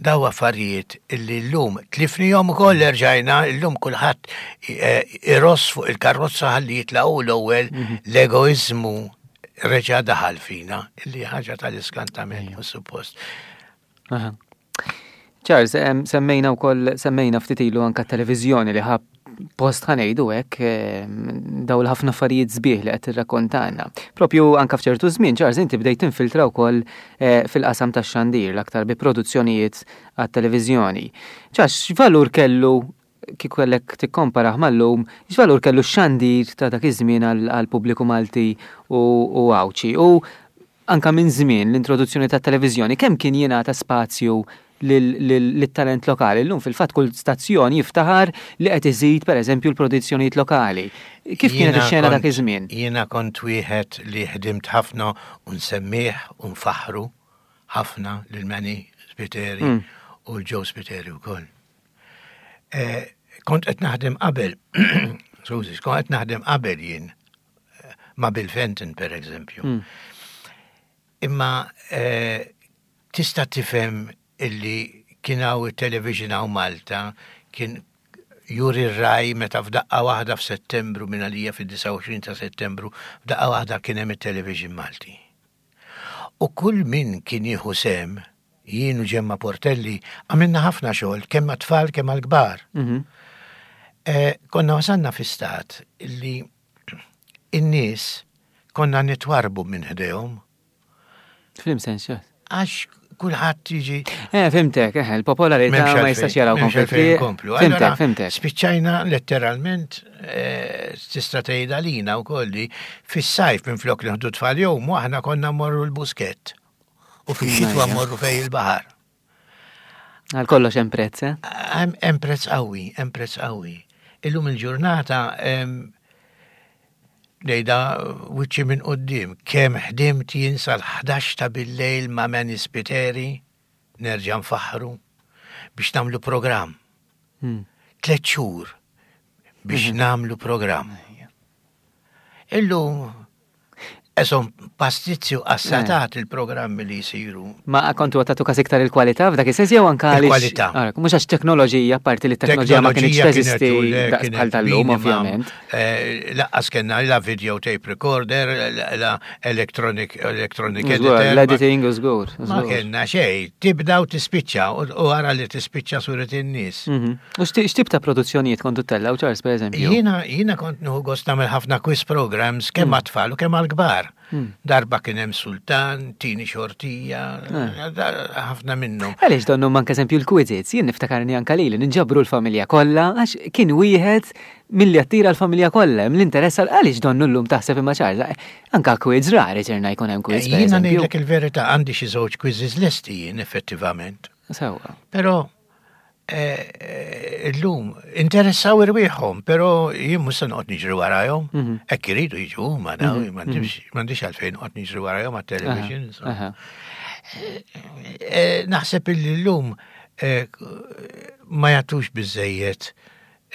Daw affarijiet illi llum tlifnihom ukoll erġajna, llum kulħadd iross fuq il-karozza ħalli jitlaqu l-ewwel, l-egoiżmu reġa' daħal fina, illi ħaġa tal-iskantament, suppost. Charles, semmejna wkoll semmejna ftit ilu anka televiżjoni li ħab post ħa ngħidu hekk daw l-ħafna affarijiet sbieħ li qed tirrakkontana. Propju anka f'ċertu żmien, Charles, inti bdejt tinfiltra wkoll fil-qasam tax-xandir l-aktar bi produzzjonijiet għat-televiżjoni. Charles, x'valur kellu kieku kellek tikkomparah mal-lum, x'valur kellu x-xandir ta' dak iż-żmien għall-pubbliku Malti u Għawdxi? U anka minn żmien l-introduzzjoni tat-televiżjoni, kemm kien jingħata spazju lit-talent lokali? Illum fil-fatt kull stazzjon jiftaħar li qed iżid pereżempju l-produzzjonijiet lokali. Kif kienet ix-xena dak iż-żmien? Jiena kont wieħed li ħdimt ħafna u nsemmih u nfaħru ħafna lil Manny Spiteri u l-Joe Spiteri wkoll. Kont qed naħdem qabel, skużi, kont qed naħdem qabel jien ma' Bill Fenton per eżempju. Imma tista' tifhem illi kien hawn it-television hawn Malta, kien juri r-raj meta f'daqqa waħda f'Settembru minn għalija fid-disgħa u għoxrin ta' Settembru, f'daqqa waħda kien hemm it-television Malti. U kull min kien jieħu sem, jien u Ġemma Portelli, għamilna ħafna xogħol, kemm għat-tfal kemm għall-kbar. Konna wasalna fi stat illi in-nies konna nitwarbu minn ħdejhom. Flim sens, xat? Għax kulħadd jiġi. Eh, fimtek, eh, il-popolarità ma jistax jaraw konflitti. Fimtek, fimtek. Spiċċajna letteralment tista' tgħid għalina wkoll li fis-sajf minn flok li ħdu tfal jom, aħna konna mmorru l-buskett. U fix-xitwa mmorru fejn il-baħar. Għal kollox hemm prezz, eh? Hemm prezz qawwi, hemm prezz qawwi. Illum il-ġurnata ngħidha wiċċi minn quddiem, kemm ħdimt jien sal-ħdax ta' bil-lejl ma' Manny Spiteri, nerġa' nfaħħru, biex nagħmlu programm. Hmm. Tliet xhur biex Mhm. nagħmlu programm. Illum esom pastizzi u qassatat il-programmi li jisiru. Ma kontu għatatu kas iktar il-kwalità f'dak is-sens jew anka għaliex- Il-kwalità. Ara, mhux għax teknoloġija, parti li t-teknoloġija ma kienx Teknoloġija teżisti kienet u le, daqs kienet bħal tal-lum, minima. ovvjament. Eh, Lanqas kellna la video tape recorder, la- la electronic, electronic Żgur, editor. ma- l-editing u żgur. Ma żgur. kellna xej, tibda u tispiċċa u u għara li tispiċċa suret in-nies. Mhm. U x'ti- x'tip ta' produzzjonijiet kontu tellgħu, Charles, per eżempju? Jiena jiena kont nieħu gost nagħmel ħafna quiz programs kemm Mm. għat-tfal u kemm għall-kbar. Darba kien hemm Sultan, Tini Xortija, Eh. da- ħafna minnhom. Għaliex donnu manka eżempju l-quizzes, jien niftakarni anka lili ninġabru l-familja kollha għax kien wieħed milli attira l-familja kollha, hemm l-interess għal għaliex donnu llum taħseb imma Charles, anka quiz rari ċerna jkun hemm quiz per Jiena eżempju. ngħidlek il-verità, għandi xi żewġ quizzes lesti jien effettivament. Sewwa. Però eh, eh, illum interessaw irwieħhom, però jien mhux se noqgħod niġri warajhom. Mhm. Hekk iridu jiġu huma daw, m'għandix m'għandix għalfejn noqgħod niġri warajhom għat-television. Aha, aha. Eh, Naħseb illi llum eh, ma jagħtux biżejjed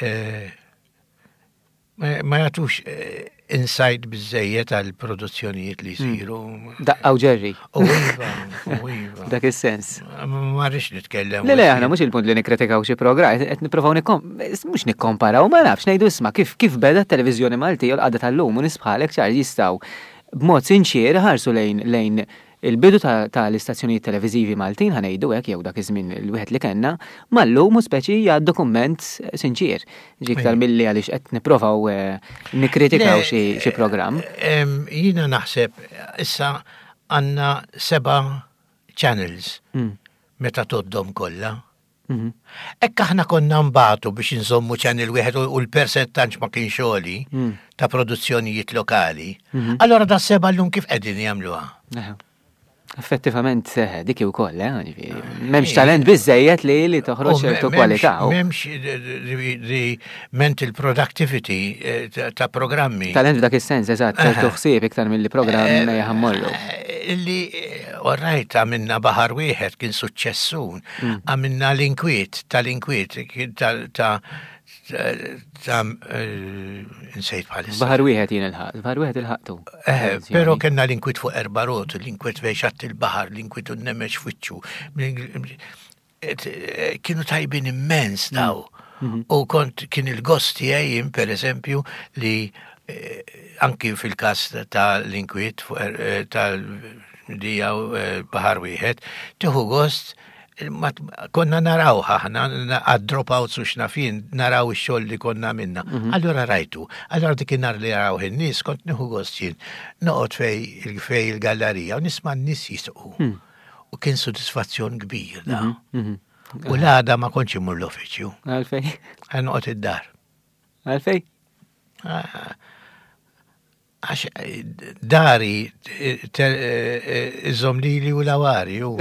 eh, ma ma jagħtux eh, insight biżejjed għal produzzjonijiet li jsiru. Daqqa u ġerri. U iva, u iva. Dak is-sens. Ma rridx nitkellem. Le, le, aħna mhux il-punt li nikkritikaw xi programm, qed nippruvaw nikkom, mhux nikkomparaw, ma nafx ngħidu isma' kif kif beda t-televiżjoni Maltija u l-qagħda tal-lum u nies bħalek ċar jistgħu b'mod sinċier ħarsu lejn lejn il-bidu ta' tal-istazzjonijiet televiżivi Maltin, ħa ngħidu hekk, jew dak iż-żmien il-wieħed li kellna, mal-lum u speċi hija dokument sinċier. Ġi iktar Ejja. milli għaliex qed nipprovaw eh, nikkritikaw Le, xi xi programm. Em, Jiena naħseb issa għandna seba' channels Mm. meta toddhom kollha. Mhm. Ekk aħna konna nbatu biex nżommu channel wieħed u u l-percentaġġ ma kienx għoli Mm. ta' produzzjonijiet lokali. Mhm. Allora da seba' llum kif qegħdin jagħmluha? Eħe. Effettivament, eh, dik ukoll, eh, ġifieri, m'hemmx talent biżejjed li li toħroġ U me- ċertu m'hemmx- kwalità. u M'hemmx the- the mental productivity eh, ta' ta' programmi. Talent f'dak is-sens, eżatt, ċertu Eħe. ħsieb iktar milli programm Eh, jaħammollu. eh, Illi, eh, all right, għamilna Baħar Wieħed kien suċċessun, Mm. għamilna l-inkwiet, tal-inkwiet, kien ta' ta' ta' eh, insejt bħalissa. Baħar Wieħed jien il-ħaq, Baħar Wieħed il-ħaqtu. Eh, pero kellna l-inkwiet fuq erba' rot, l-inkwiet fejn xatt il-baħar, l-inkwiet u n-nemex fwiċċu. Kienu tajbin immens daw. U kont kien il-gost tiegħi jien, per eżempju, li eh, anki fil-kas ta' l-inkwiet fuq er- eh, tal-dija eh, Baħar Wieħed, tieħu gost ma konna naraw aħna għad dropouts u xnafin naraw ix-xogħol li konna minna. Allora rajtu, allora dik in-nar li raw in-nies kont nieħu gost jien noqgħod fej fej il-gallerija u nisma' n-nies jisqu. U kien sodisfazzjon kbir da. U l-għada ma kontx imur l-uffiċċju, Għalfej? għan noqgħod id-dar. Għalfej? Ah, Għax eh, dari eh, te- eh, eh, iżom lili u lawari u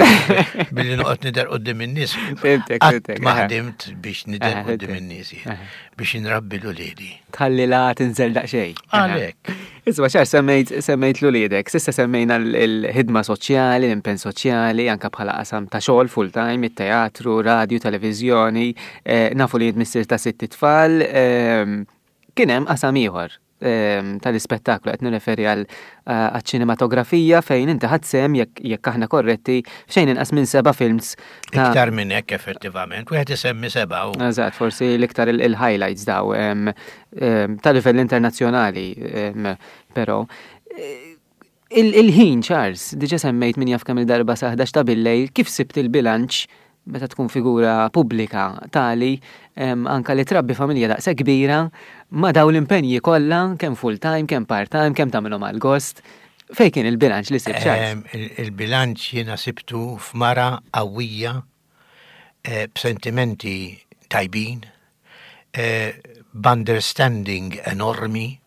billi noqgħod nidher quddiem in-nies. Fhimtek, Qatt fhimtek, ma aha. ħdimt biex nidher Aha, quddiem fhimtek. in-nies jien, Aha. biex inrabbi l-uliedi. Tħalli la tinżel daqsxejn. Għalhekk. Isma' ċar semmejt semmejt l-uliedek, s'issa semmejna l-ħidma soċjali, l-impenn soċjali, anka bħala qasam ta' xogħol full time, it-teatru, radio, televiżjoni, eh, nafu li missier ta' sitt tfal, ehm, kien hemm qasam ieħor ehm, tal-ispettaklu qed nirreferi għal eh, għaċ-ċinematografija fejn inti ħadt sehem jekk jekk aħna korretti f'xejn inqas minn seba' films ta' Iktar minn hekk effettivament, wieħed isemmi seba' u Eżatt, forsi l-iktar il- il-highlights daw em, em, ta' livell internazzjonali, em, però. Eh, il- Il-ħin, Charles, diġa semmejt min jaf kemm il-darba sa ħdax ta' billejl, kif sibt il-bilanċ meta tkun figura pubblika tali em, anka li trabbi familja daqshekk kbira ma daw l-impenji kollha kemm full time, kemm part time, kemm tagħmilhom għal gost. Fejn kien il-bilanċ li sibt, Charles? Em, il- Il-bilanċ jiena sibtu f'mara qawwija eh, b'sentimenti tajbin, eh, b'understanding enormi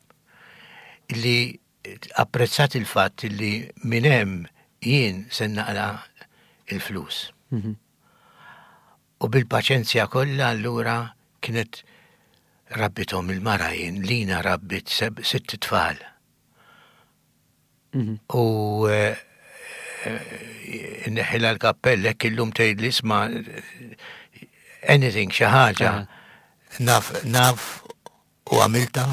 li apprezzat il-fatt li minn hemm jien se naqla il-flus. Mhm. U bil-paċenzja kollha allura kienet rabbithom il-mara jien, Lina rabbit sitt tfal. Mhm. U eh, eh, nneħħilha l-kappell hekk illum tgħidli isma' anything xi ħaġa naf naf u għamilta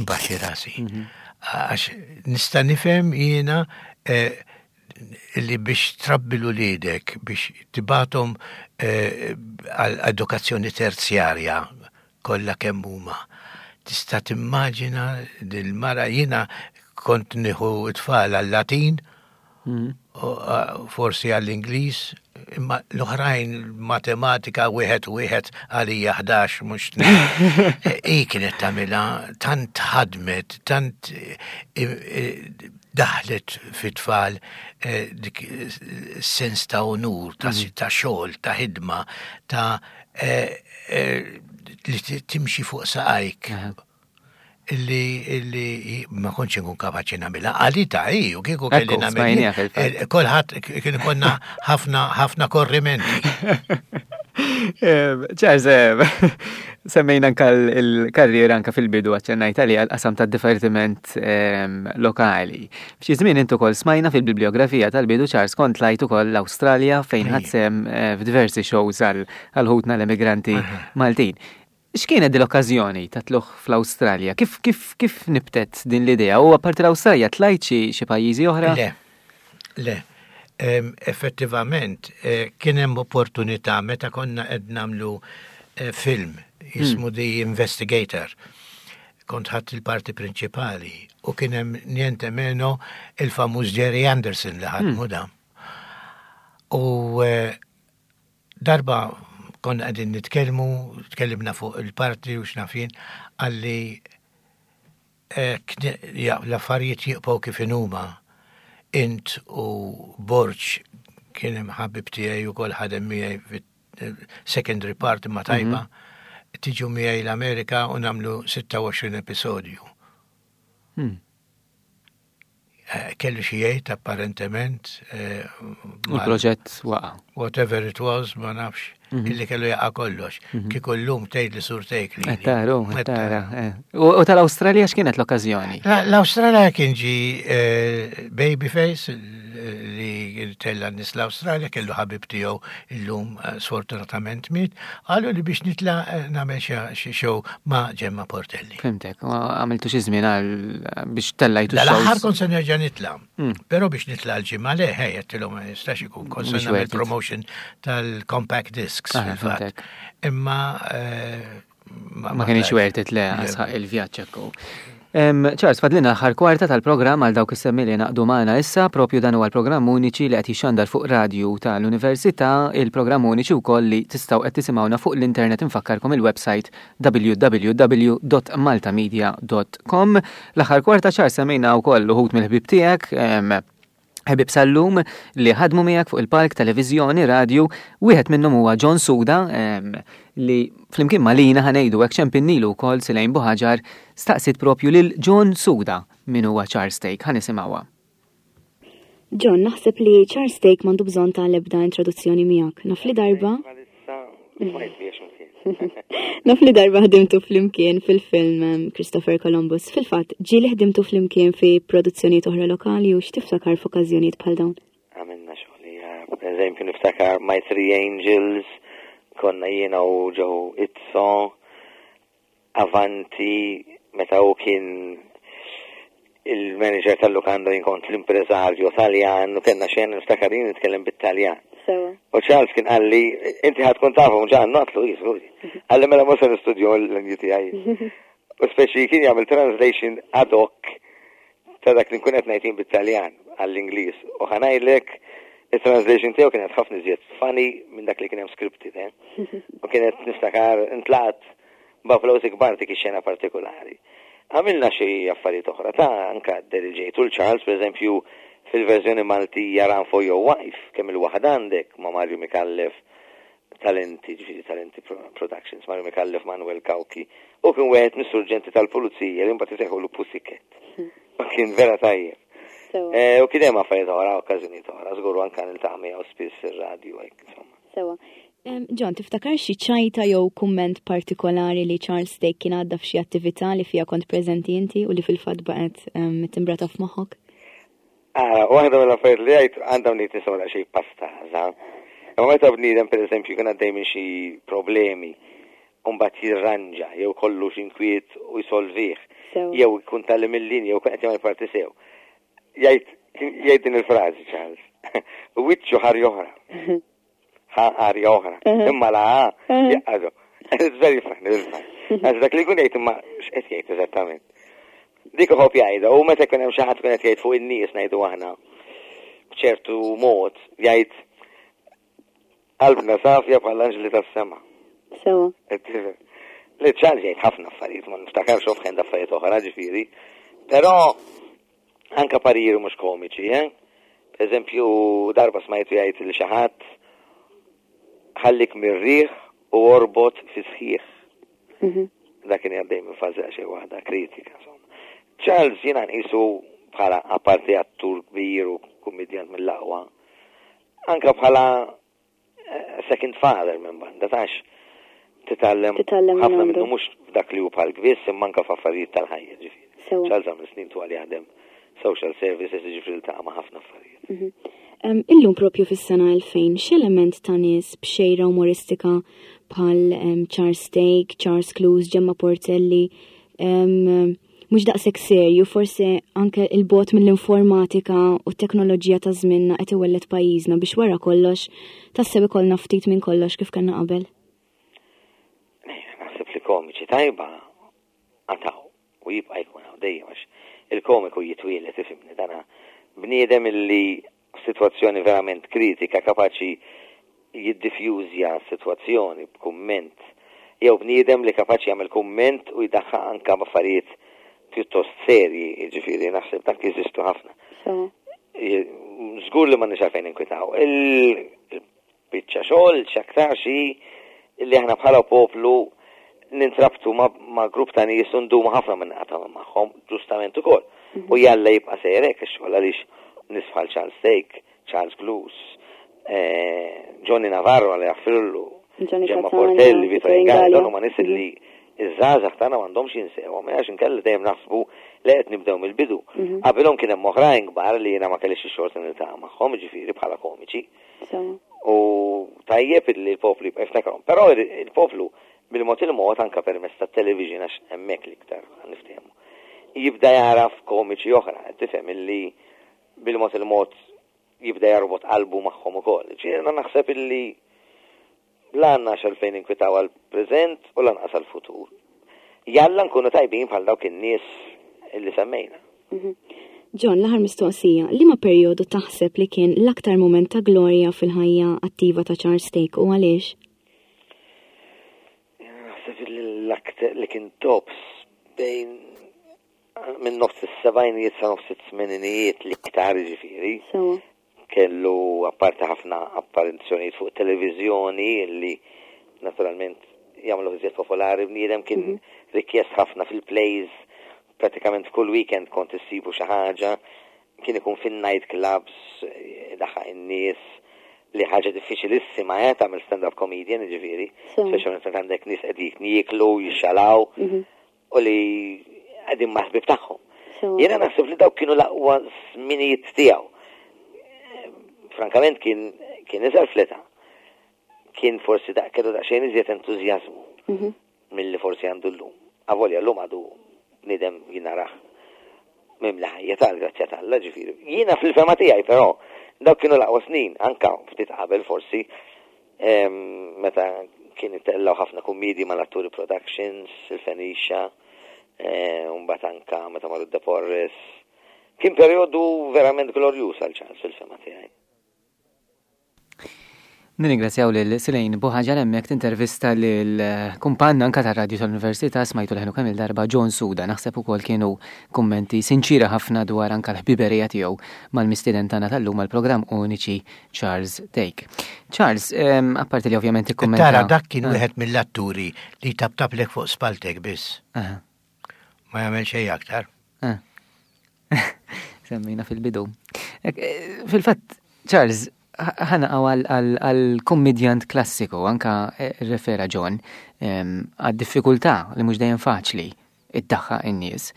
imbaxxi rasi. Mhm. Għax nista' nifhem jiena eh, li biex trabbi l-uliedek, biex tibgħathom eh, għal edukazzjoni terzjarja kollha kemm huma. Tista' timmaġina dil-mara jiena kont nieħu t-tfal għal-Latin, mm. forsi għall-Ingliż, imma l-oħrajn matematika wieħed u wieħed għalija ħdax mhux I kienet tagħmilha tant ħadmet, tant daħlet fit-tfal eh, dik sens ta' onur, ta' mm. ta' xogħol, ta' ħidma, ta' eh, eh, li timxi fuq saqajk. Illi illi ma kontx nkun kapaċi nagħmilha. Għalita hi, u kieku kelli nagħmilha. Kulħadd kien konna ħafna ħafna korrimenti. Charles, semmejna anka l-karriera anka fil-bidu għaċċennajt għalija l-qasam ta' divertiment lokali. F'xi żmien intu kol smajna fil-bibliografija tal-bidu Charles kont tlajt ukoll l-Awstralja fejn ħadt sehem eh, f'diversi shows għal ħutna l-emigranti Maltin. X'kienet din l-okkażjoni ta' tlugħ fl-Awstralja? Kif kif kif nibtet din l-idea? U apparti l-Awstralja tlajt xi pajjiżi oħra? Le, le. Effettivament, eh, kien hemm opportunità meta konna qed nagħmlu eh, film jismu hmm. The Investigator. Kont ħadt il-parti prinċipali u kien hemm niente meno il-famuż Gerry Anderson li ħadmu hmm. da. U eh, darba konna qegħdin nitkellmu, tkellimna fuq il-parti u x'naf jien, qalli l-affarijiet jibqgħu kif inhuma. Int u Borg kien hemm ħabib tiegħi ukoll ħadem miegħi secondary part ma tajba, mhm. tiġu miegħi l-Amerika u nagħmlu sitta u għoxrin episodju. Hmm. Eh, kellu xi jgħid apparentement. Eh, u l-proġett waqa. Whatever it was, ma nafx, mhm. illi kellu jaqa' kollox. Mhm. Kieku llum tgħid li surtejk li. Taru, tara. Eh. U tal-Awstralja x'kienet l-okkażjoni? L-Awstralja kien ġi Babyface li tella nies l-Awstralja, kellu ħabib tiegħu illum sfortunatament miet, qalu li biex nitla nagħmel xi show ma' Gemma Portelli. Fhimtek, għamiltu xi żmien għal biex tellajtu. L-aħħar kont se nerġa' nitla. Hmm. Però biex nitla l-ġimgħa le, ħej, għedtilhom ma jistax ikun kont se nagħmel promotion tal-compact discs. Imma eh, ma kienx worth it le għasħaq il-vjaġġ ekku. Charles, fadlilna l-aħħar kwarta tal-programm għal dawk is-semmi li ngħaqdu magħna issa, propju dan huwa l-programm Uniċi li qed jixxandar fuq radju tal-Università, il-programm Uniċi wkoll li tistgħu qed tisimgħuna fuq l-internet infakkarkom il-website w w w dot maltamedia dot com. L-aħħar kwarta Charles semmejna wkoll uħud mill-ħbib tiegħek, ħbib sal-lum li ħadmu miegħek fuq il-palk, televiżjoni, radju, wieħed minnhom huwa John Suda li flimkien ma' Lina ħa ngħidu hekk ċempinnilu wkoll Silejn Buħaġar staqsit propju lil John Suda min huwa Charles Thake. Ħa nisimgħuha. John, naħseb li Charles Thake m'għandu bżonn ta' lebda introduzzjoni miegħek. Naf li darba Naf li darba ħdimtu flimkien fil-film um, Christopher Columbus. Fil-fatt, ġieli ħdimtu flimkien fi produzzjonijiet oħra lokali u x'tiftakar f'okkażjonijiet bħal dawn? Għamilna xogħol, per eżempju niftakar My Three Angels, konna jiena u Joe Izzo, Avanti, meta u kien il-manager tal-lukanda jien kont l-impreżarju Taljan u kellna xena niftakar jien nitkellem bit-Taljan. U Charles kien qalli, inti ħa tkun tafhom ġan, għedtlu, jiżgur. Qalli mela mhux se nistudju l-lingwi tiegħi. U speċi kien jagħmel translation ad hoc ta' dak li nkun qed ngħid bit-Taljan għall-Ingliż. U ħa ngħidlek il-translation tiegħu kienet ħafna iżjed funny minn dak li kien hemm scripted, eh? U kienet niftakar intlaqat b'applawsi kbar dik ix-xena partikolari. Għamilna xi affarijiet oħra ta' anka deriġejtu l-Charles, per eżempju, fil-verżjoni Maltija Run for Your Wife, kemm il-waħda għandek ma' Mario Mikallef, Talenti, ġifieri Talenti Productions, Mario Mikallef, Manuel Cauchi, u kien wieħed mis-surġenti tal-pulizija li mbagħad isejħulu Pussycat. U kien vera tajjeb. Eh, u kien hemm affarijiet oħra, okkażjonijiet oħra, żgur anke niltaqa' miegħu spiss ir-radju hekk insomma. Sewa. John, tiftakar xi ċajta jew kumment partikolari li Charles Thake kien għadda f'xi attività li fiha kont preżenti inti u li fil-fatt baqgħet timbrata f'moħħok? Ara, waħda mill-affarijiet li għajt għandhom li tisma' xi pastaża. Imma meta bniedem pereżempju jkun għaddej minn xi problemi u mbagħad jirranġa jew kollu xi inkwiet u jsolvih, jew jkun tgħallem il-linja jew qed jagħmel parti sew. Jgħid jgħid din il-frażi Charles. Wiċċu ħar oħra. Ħarja oħra. Imma la jgħadu. It's very funny, very funny. Għax dak li jkun jgħid imma x'qed jgħid eżattament. Dik iħobb jgħidha u meta jkun hemm xi ħadd tkun qed jgħid fuq in-nies ngħidu aħna b'ċertu mod jgħid qalbna safja bħal anġli tas-sema. Sewa. Li Charles jgħid ħafna affarijiet, ma niftakarx offhand affarijiet oħra ġifieri. Però anka pariri mhux komiċi, eh? Per eżempju, darba smajtu jgħid li xi ħadd ħallik mir-riħ u orbot fi sħiħ. Mhm. Dak kien għaddej minn fażi xi waħda kritika, insomma. Charles jiena nqisu bħala apparti attur kbir u kummedjant mill-aqwa, anka bħala eh, second father minn banda, tax titgħallem Titgħallem minn ħafna għandu. minnu mhux f'dak li hu bħal kbis imma anka f'affarijiet tal-ħajja ġifieri. Sewa. Charles għamel snin twal jaħdem social services ġifieri ltaqa' ma' ħafna affarijiet. Mhm. Em, Illum propju fis-sena elfejn, x'element ta' nies b'xejra umoristika bħal em, Charles Thake, Charles Clews, Gemma Portelli, em, mhux daqshekk serju, forsi anke il-bogħod mill-informatika u t-teknoloġija ta' żmienna qed iwelled pajjiżna biex wara kollox tassew ikollna ftit minn kollox kif kellna qabel. Naħseb li komiċi tajba għataw u jibqa' jkun hawn dejjem għax il-komiku jitwielet ifhimni dana bniedem illi f'sitwazzjoni verament kritika kapaċi jiddifjużja s-sitwazzjoni b'kumment jew bniedem li kapaċi jagħmel kumment u jdaħħaq anka b'affarijiet pjuttost serji, jiġifieri naħseb dak jeżistu ħafna. Sewa. Żgur li m'għandniex għalfejn inkwitaw. Il-biċċa xogħol x'aktar xi li aħna bħala poplu nintrabtu ma, ma grupp ta' nies u ndumu ħafna minn naqatgħu magħhom, ġustament ukoll. U jalla jibqa' sejrek ix-xogħol għaliex nies bħal Charles Thake, Charles Clews, eh, Johnny Navarro għal jaffrillu, Johnny Gemma Catania, Portelli, Vito Vito Ingalli, Ingallia. dawn huma nies li iż-żgħażagħ tagħna m'għandhomx jinsewhom, għax inkella dejjem naħsbu li qed nibdew mill-bidu. Qabilhom kien hemm oħrajn kbar li jiena ma kellix ix-xorta niltaqa' magħhom, ġifieri bħala komiċi. Sewa. U tajjeb li l-poplu jibqa' jiftakarhom. Però il-poplu bil-mod il-mod anka permezz tat-television għax hemmhekk l-iktar niftehmu. Jibda jaraf komiċi oħra, tifhem illi bil-mod il-mod jibda jarbot qalbu magħhom ukoll. Ġiena naħseb illi la għandna għalfejn inkwitaw għal-preżent u lanqas għal-futur. Jalla nkunu tajbin bħal dawk in-nies illi semmejna. Mhm. John, l-aħħar mistoqsija, liema perjodu taħseb li kien l-aktar moment ta' glorja fil-ħajja attiva ta' Charles Thake u għaliex? Naħseb li l-aktar li kien tops bejn minn nofs is-sebgħinijiet sa nofs it-tmeninijiet li iktar ġifieri. Sewa. Kellu apparti ħafna apparizzjonijiet fuq televizjoni li naturalment jagħmlu iżjed popolari bniedem kien rikjest ħafna fil-plays pratikament kull weekend kont issibu xi ħaġa kien ikun fin-night clubs daħħaq in-nies li ħaġa diffiċilissima eh tagħmel stand-up comedian ġifieri, Sewa. speċjalment meta għandek nies qegħdin jieklu, jixxalaw Mhm. u li qegħdin maħbib tagħhom. Sewa. Jiena naħseb li dawk kienu l-aqwa żminijiet tiegħu. Frankament kien kien iżgħar fl-età. Kien forsi daq kellu daqsxejn iżjed entużjażmu Mhm. milli forsi għandu llum. Avolja llum għadu bniedem jinarah mimli ħajja tal-grazzja t'Alla ġifieri. Jiena fil-fema tiegħi però dawk kienu l-aqwa snin, anka ftit qabel forsi em, meta kien itellgħu ħafna kummedji mal-Atturi Productions, il-Fenicia, eh, u mbagħad anka meta marru De Porres. Kien perjodu verament glorjuż għal Charles fil-fema tiegħi. Nirringrazzjaw lil Silejn Buħaġar hemmhekk tintervista lil kumpanna anka tar-radju tal-Università smajtu leħnu kemm il-darba John Suda. Naħseb ukoll kienu kummenti sinċira ħafna dwar anka l-ħbiberija tiegħu mal-mistieden tagħna tal-lum għall-programm Uniċi Charles Thake. Charles, em, apparti li ovvjament ikkummenta. Tara, dak kien Ah. wieħed mill-atturi li taptaplek fuq spaltek biss. Aha. Ma jagħmel xejn aktar. Ah. Semmejna fil-bidu. Eh, fil-fatt, Charles, ħana għal-kommedjant klassiku, anka eh, refera John, għad-diffikultà li mhux dejjem faċli iddaħħaq in-nies.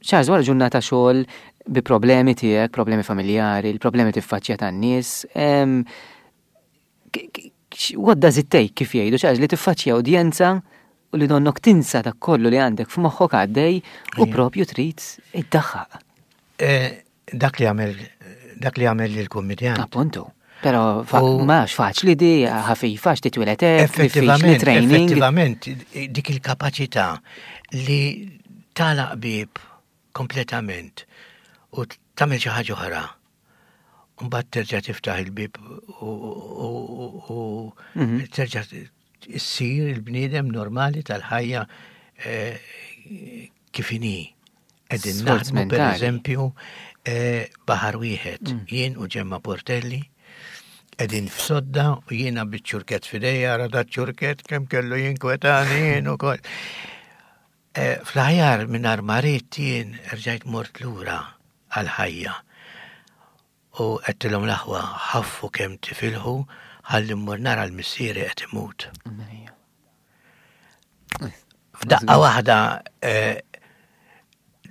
Charles, wara ġurnata xogħol bi problemi tiegħek, problemi familjari, il-problemi tiffaċċja tan-nies, what does it take, kif jgħidu, Charles, li tiffaċċja udjenza u li donnok tinsa dak kollu li għandek f'moħħok għaddej u propju trid iddaħħaq? Eh, dak li għamel dak li għamel il-kommedjant. Appuntu. Pero mhux faċli di, ħafifa, titwieled. Effettivament, effettivament, dik il-kapaċità li tagħlaq bieb kompletament u tagħmel xi ħaġa oħra. Mbagħad terġa' tiftaħ il-bib u mhm. terġa' issir il-bniedem normali tal-ħajja eh, kif inhi. Qegħdin naħdmu, per eżempju, eh, Baħar Wieħed, mm. jien u Ġemma Portelli, qegħdin f'sodda u jiena biċ-ċurket f'idejja, ra ċurket kemm kellu jinkwetani jien ukoll. Eh, fl-aħjar minn armarit jien rġajt mort lura għal-ħajja. U għedtilhom, "L-aħwa, ħaffu kemm tifilħu ħalli mmur nara l-missieri qed imut." F'daqqa waħda eh,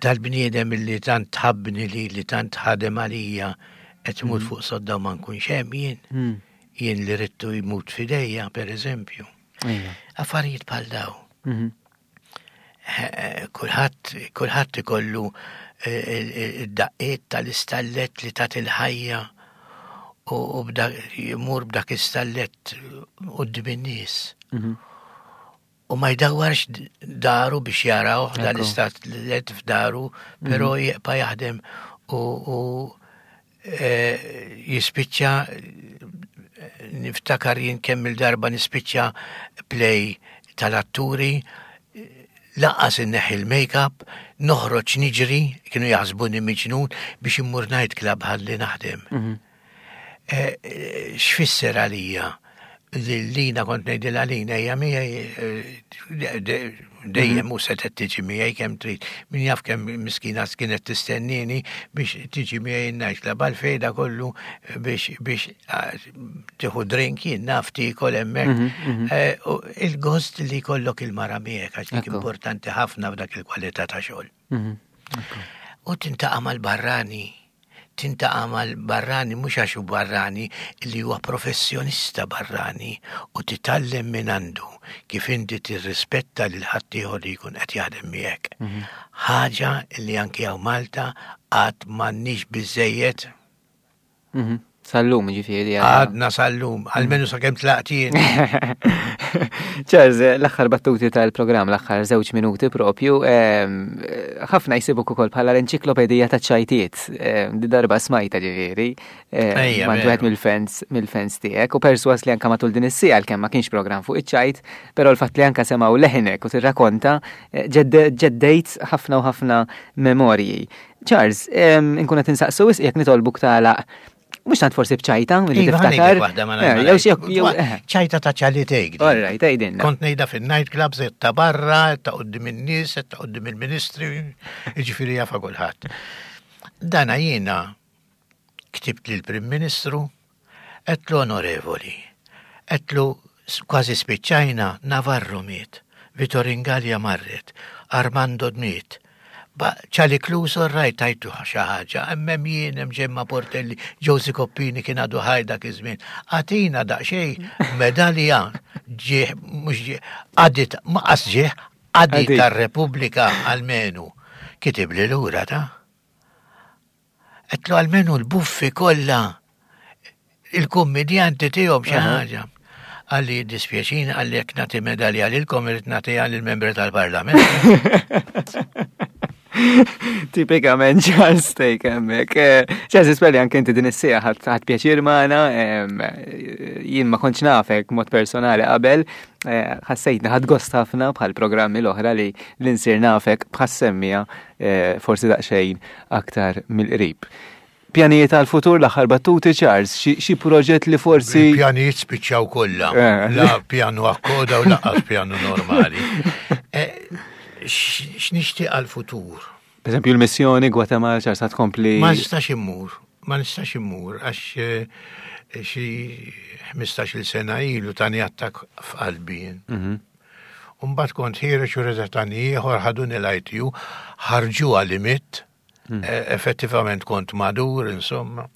dal-bniedem li tant tħabbni li li tant ħadem għalija qed imut mm. fuq sodda u ma nkunx hemm jien. Mm. Jien li ridtu jmut f'idejja, per eżempju. Affarijiet bħal daw. Mhm. Eh, kulħadd kulħadd ikollu eh, id-daqqiet tal-istallet li tat il-ħajja u jmur b'dak istallet quddiem in-nies. Mhm. U ma jdawwarx daru biex jaraw dal-istallet f'daru, però mhm. jibqa' jaħdem u e, jispiċċa. Niftakar jien kemm il-darba nispiċċa play tal-atturi, lanqas inneħħi il-make-up, noħroġ niġri, kienu jaħsbuni miġnun, biex immur night club ħalli naħdem. Mhm. E, e, x'fisser għalija? Lina kont ngħidilha, "Lina, ejja miegħi," eh, dejjem u setgħet tiġi miegħi kemm trid. Min jaf kemm miskina kienet tistennini biex tiġi miegħi night club, għalfejn kollu biex biex ah, tieħu drink, jien naf, tiekol hemmhekk. Mhm, mhm. Eh, il-gost li jkollok il-mara miegħek, għax dik importanti ħafna f'dak il-kwalità ta' xogħol. Mhm, u tiltaqa' mal-barrani, tiltaqa' mal-barrani mhux għax hu barrani, li huwa professjonista barrani, u titgħallem minn għandu kif inti tirrispetta lil ħaddieħor li jkun qed jaħdem miegħek. Mhm. Ħaġa li anki hawn Malta għad m'għandniex biżejjed. Mhm. Sal-lum ġifieri. Għadna sal-lum, almenu sa kemm tlaqt jien. Charles, l-aħħar battuti tal-programm, l-aħħar żewġ minuti propju, ħafna jsibuk ukoll bħala l-enċiklopedija ta' ċajtiet. Di darba smajta ġifieri. Mingħand wieħed mill-fans mill-fans tiegħek u perswas li anka matul din is-siegħa, kemm ma kienx programm fuq iċ-ċajt, però l-fatt li anka semgħu leħnek u tirrakonta ġeddejt ħafna u ħafna memorji. Charles, inkun qed insaqsu jekk nitolbuk tagħlaq mhux tant forsi bċajta, li iva, tiftakar. Eh, eh. ċajta ta' Charlie Thake. All right, għidilna. Kont ngħidha fin-nightclubs, ta' barra, ta' quddiem in-nies, ta' quddiem il-ministri, jiġifieri jafa kulħadd. Dana jiena ktibt lill-Prim Ministru, għedtlu, "Onorevoli," għedtlu, "kważi spiċċajna, Navarro miet, Vitorin Gallia marret, Armando miet, Charlie Close rajt tajtu xi ħaġa, hemm jien, hemm Ġemma Portelli, Josie Coppini kien għadu ħaj dak iż-żmien. Agħtina daqsxejn medalja ġieħ, mhux ġieħ, għadit, maqas ġieħ, għadit tar-Repubblika almenu." Kitib li lura ta' għedtlu, "Almenu l-buffi kollha il-kommedjanti tihom xi ħaġa." Qalli, "Dispjaċini," qalli, "jekk nagħti medalja lilkom irrid nagħtiha lill-membri tal-Parlament." Tipikament Charles Thake hemmhekk. Eh, Charles, nispera li anke inti din is-siegħa ħadt pjaċir magħna, jien ma kontx nafek mod personali qabel, eh, ħassejtni ħadt gost ħafna bħal programmi l-oħra li l-insir nafek bħas-semmija eh, forsi daqsxejn aktar mill-qrib. Pjanijiet għal-futur, l-aħħar battuti, Charles, xi proġett li forsi. Pjanijiet spiċċaw kollha. La pjanu akkoda u lanqas pjanu normali. X'nixtieq għal-futur? Per eżempju l-missjoni Gwatemala ċar sa tkompli. Ma nistax immur, ma nistax immur għax eh, xi ħmistax-il sena ilu tani attak f'qalbi jien. Mhm. Umbagħad kont ħiereġ u reġa' tani ieħor ħaduni l-I T U, ħarġu għal-limit, eh, effettivament kont madur, insomma.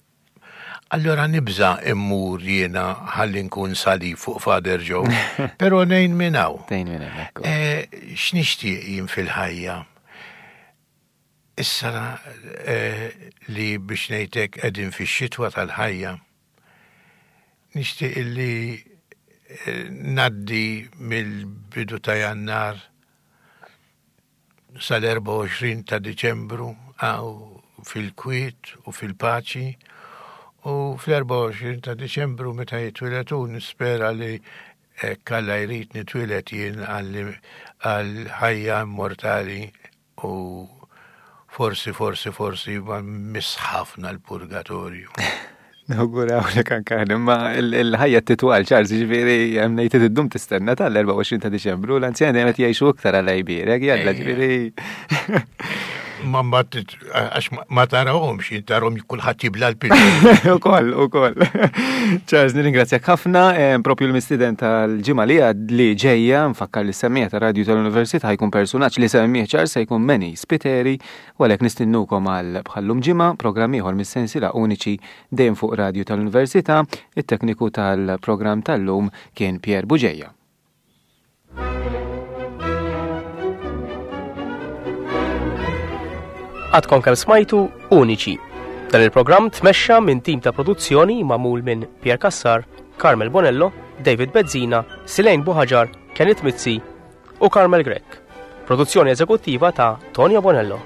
Allora nibża immur jiena ħalli nkun salib fuq Father Joe, pero nejn minn hawn. Tgħin minn hemm, ekku. Eh, X'nixtieq jien fil-ħajja? Issa eh, li biex ngħidlek qegħdin fix-xitwa tal-ħajja, nixtieq li eh, ngħaddi mill-bidu ta' Jannar sal-erbgħa u għoxrin ta' Diċembru għaw fil-kwiet u fil-paċi u fl-erbgħa u għoxrin ta' Diċembru meta jitwieled hu nispera li hekk Alla jrid nitwieled jien għal ħajja immortali u forsi, forsi, forsi ma miss ħafna l-purgatorju. Nawgurawlek anka, imma il-ħajja titwal, Charles, ġifieri hemm ngħid iddum tistenna tal-erbgħa u għoxrin ta' Diċembru, l-anzjani dejjem qed jgħixu iktar għal jbierek, jalla ġifieri. Ma mbagħad għax ma tarawhomx, tarahom kulħadd jibla l-pil. Ukoll, ukoll. Charles, nirringrazzjak ħafna, eh, propju l-mistiden tal-ġimgħa li għad li ġejja, nfakkar li semmiegħa ta' radju tal-Università ħa jkun personaġġ li semmih Charles se jkun Manny Spiteri, u għalhekk nistinnukom għal bħallum ġimgħa programm ieħor mis-sensiela Uniċi dejjem fuq radju tal-Università, it-tekniku tal-programm tal-lum kien Pier Buġeja. Għadkom kemm smajtu Uniċi. Dan il-programm tmexxa minn tim ta' produzzjoni magħmul minn Pier Cassar, Carmel Bonello, David Bezzina, Silejn Buħaġar, Kenneth Mizzi u Carmel Grech. Produzzjoni eżekuttiva ta' Tonio Bonello.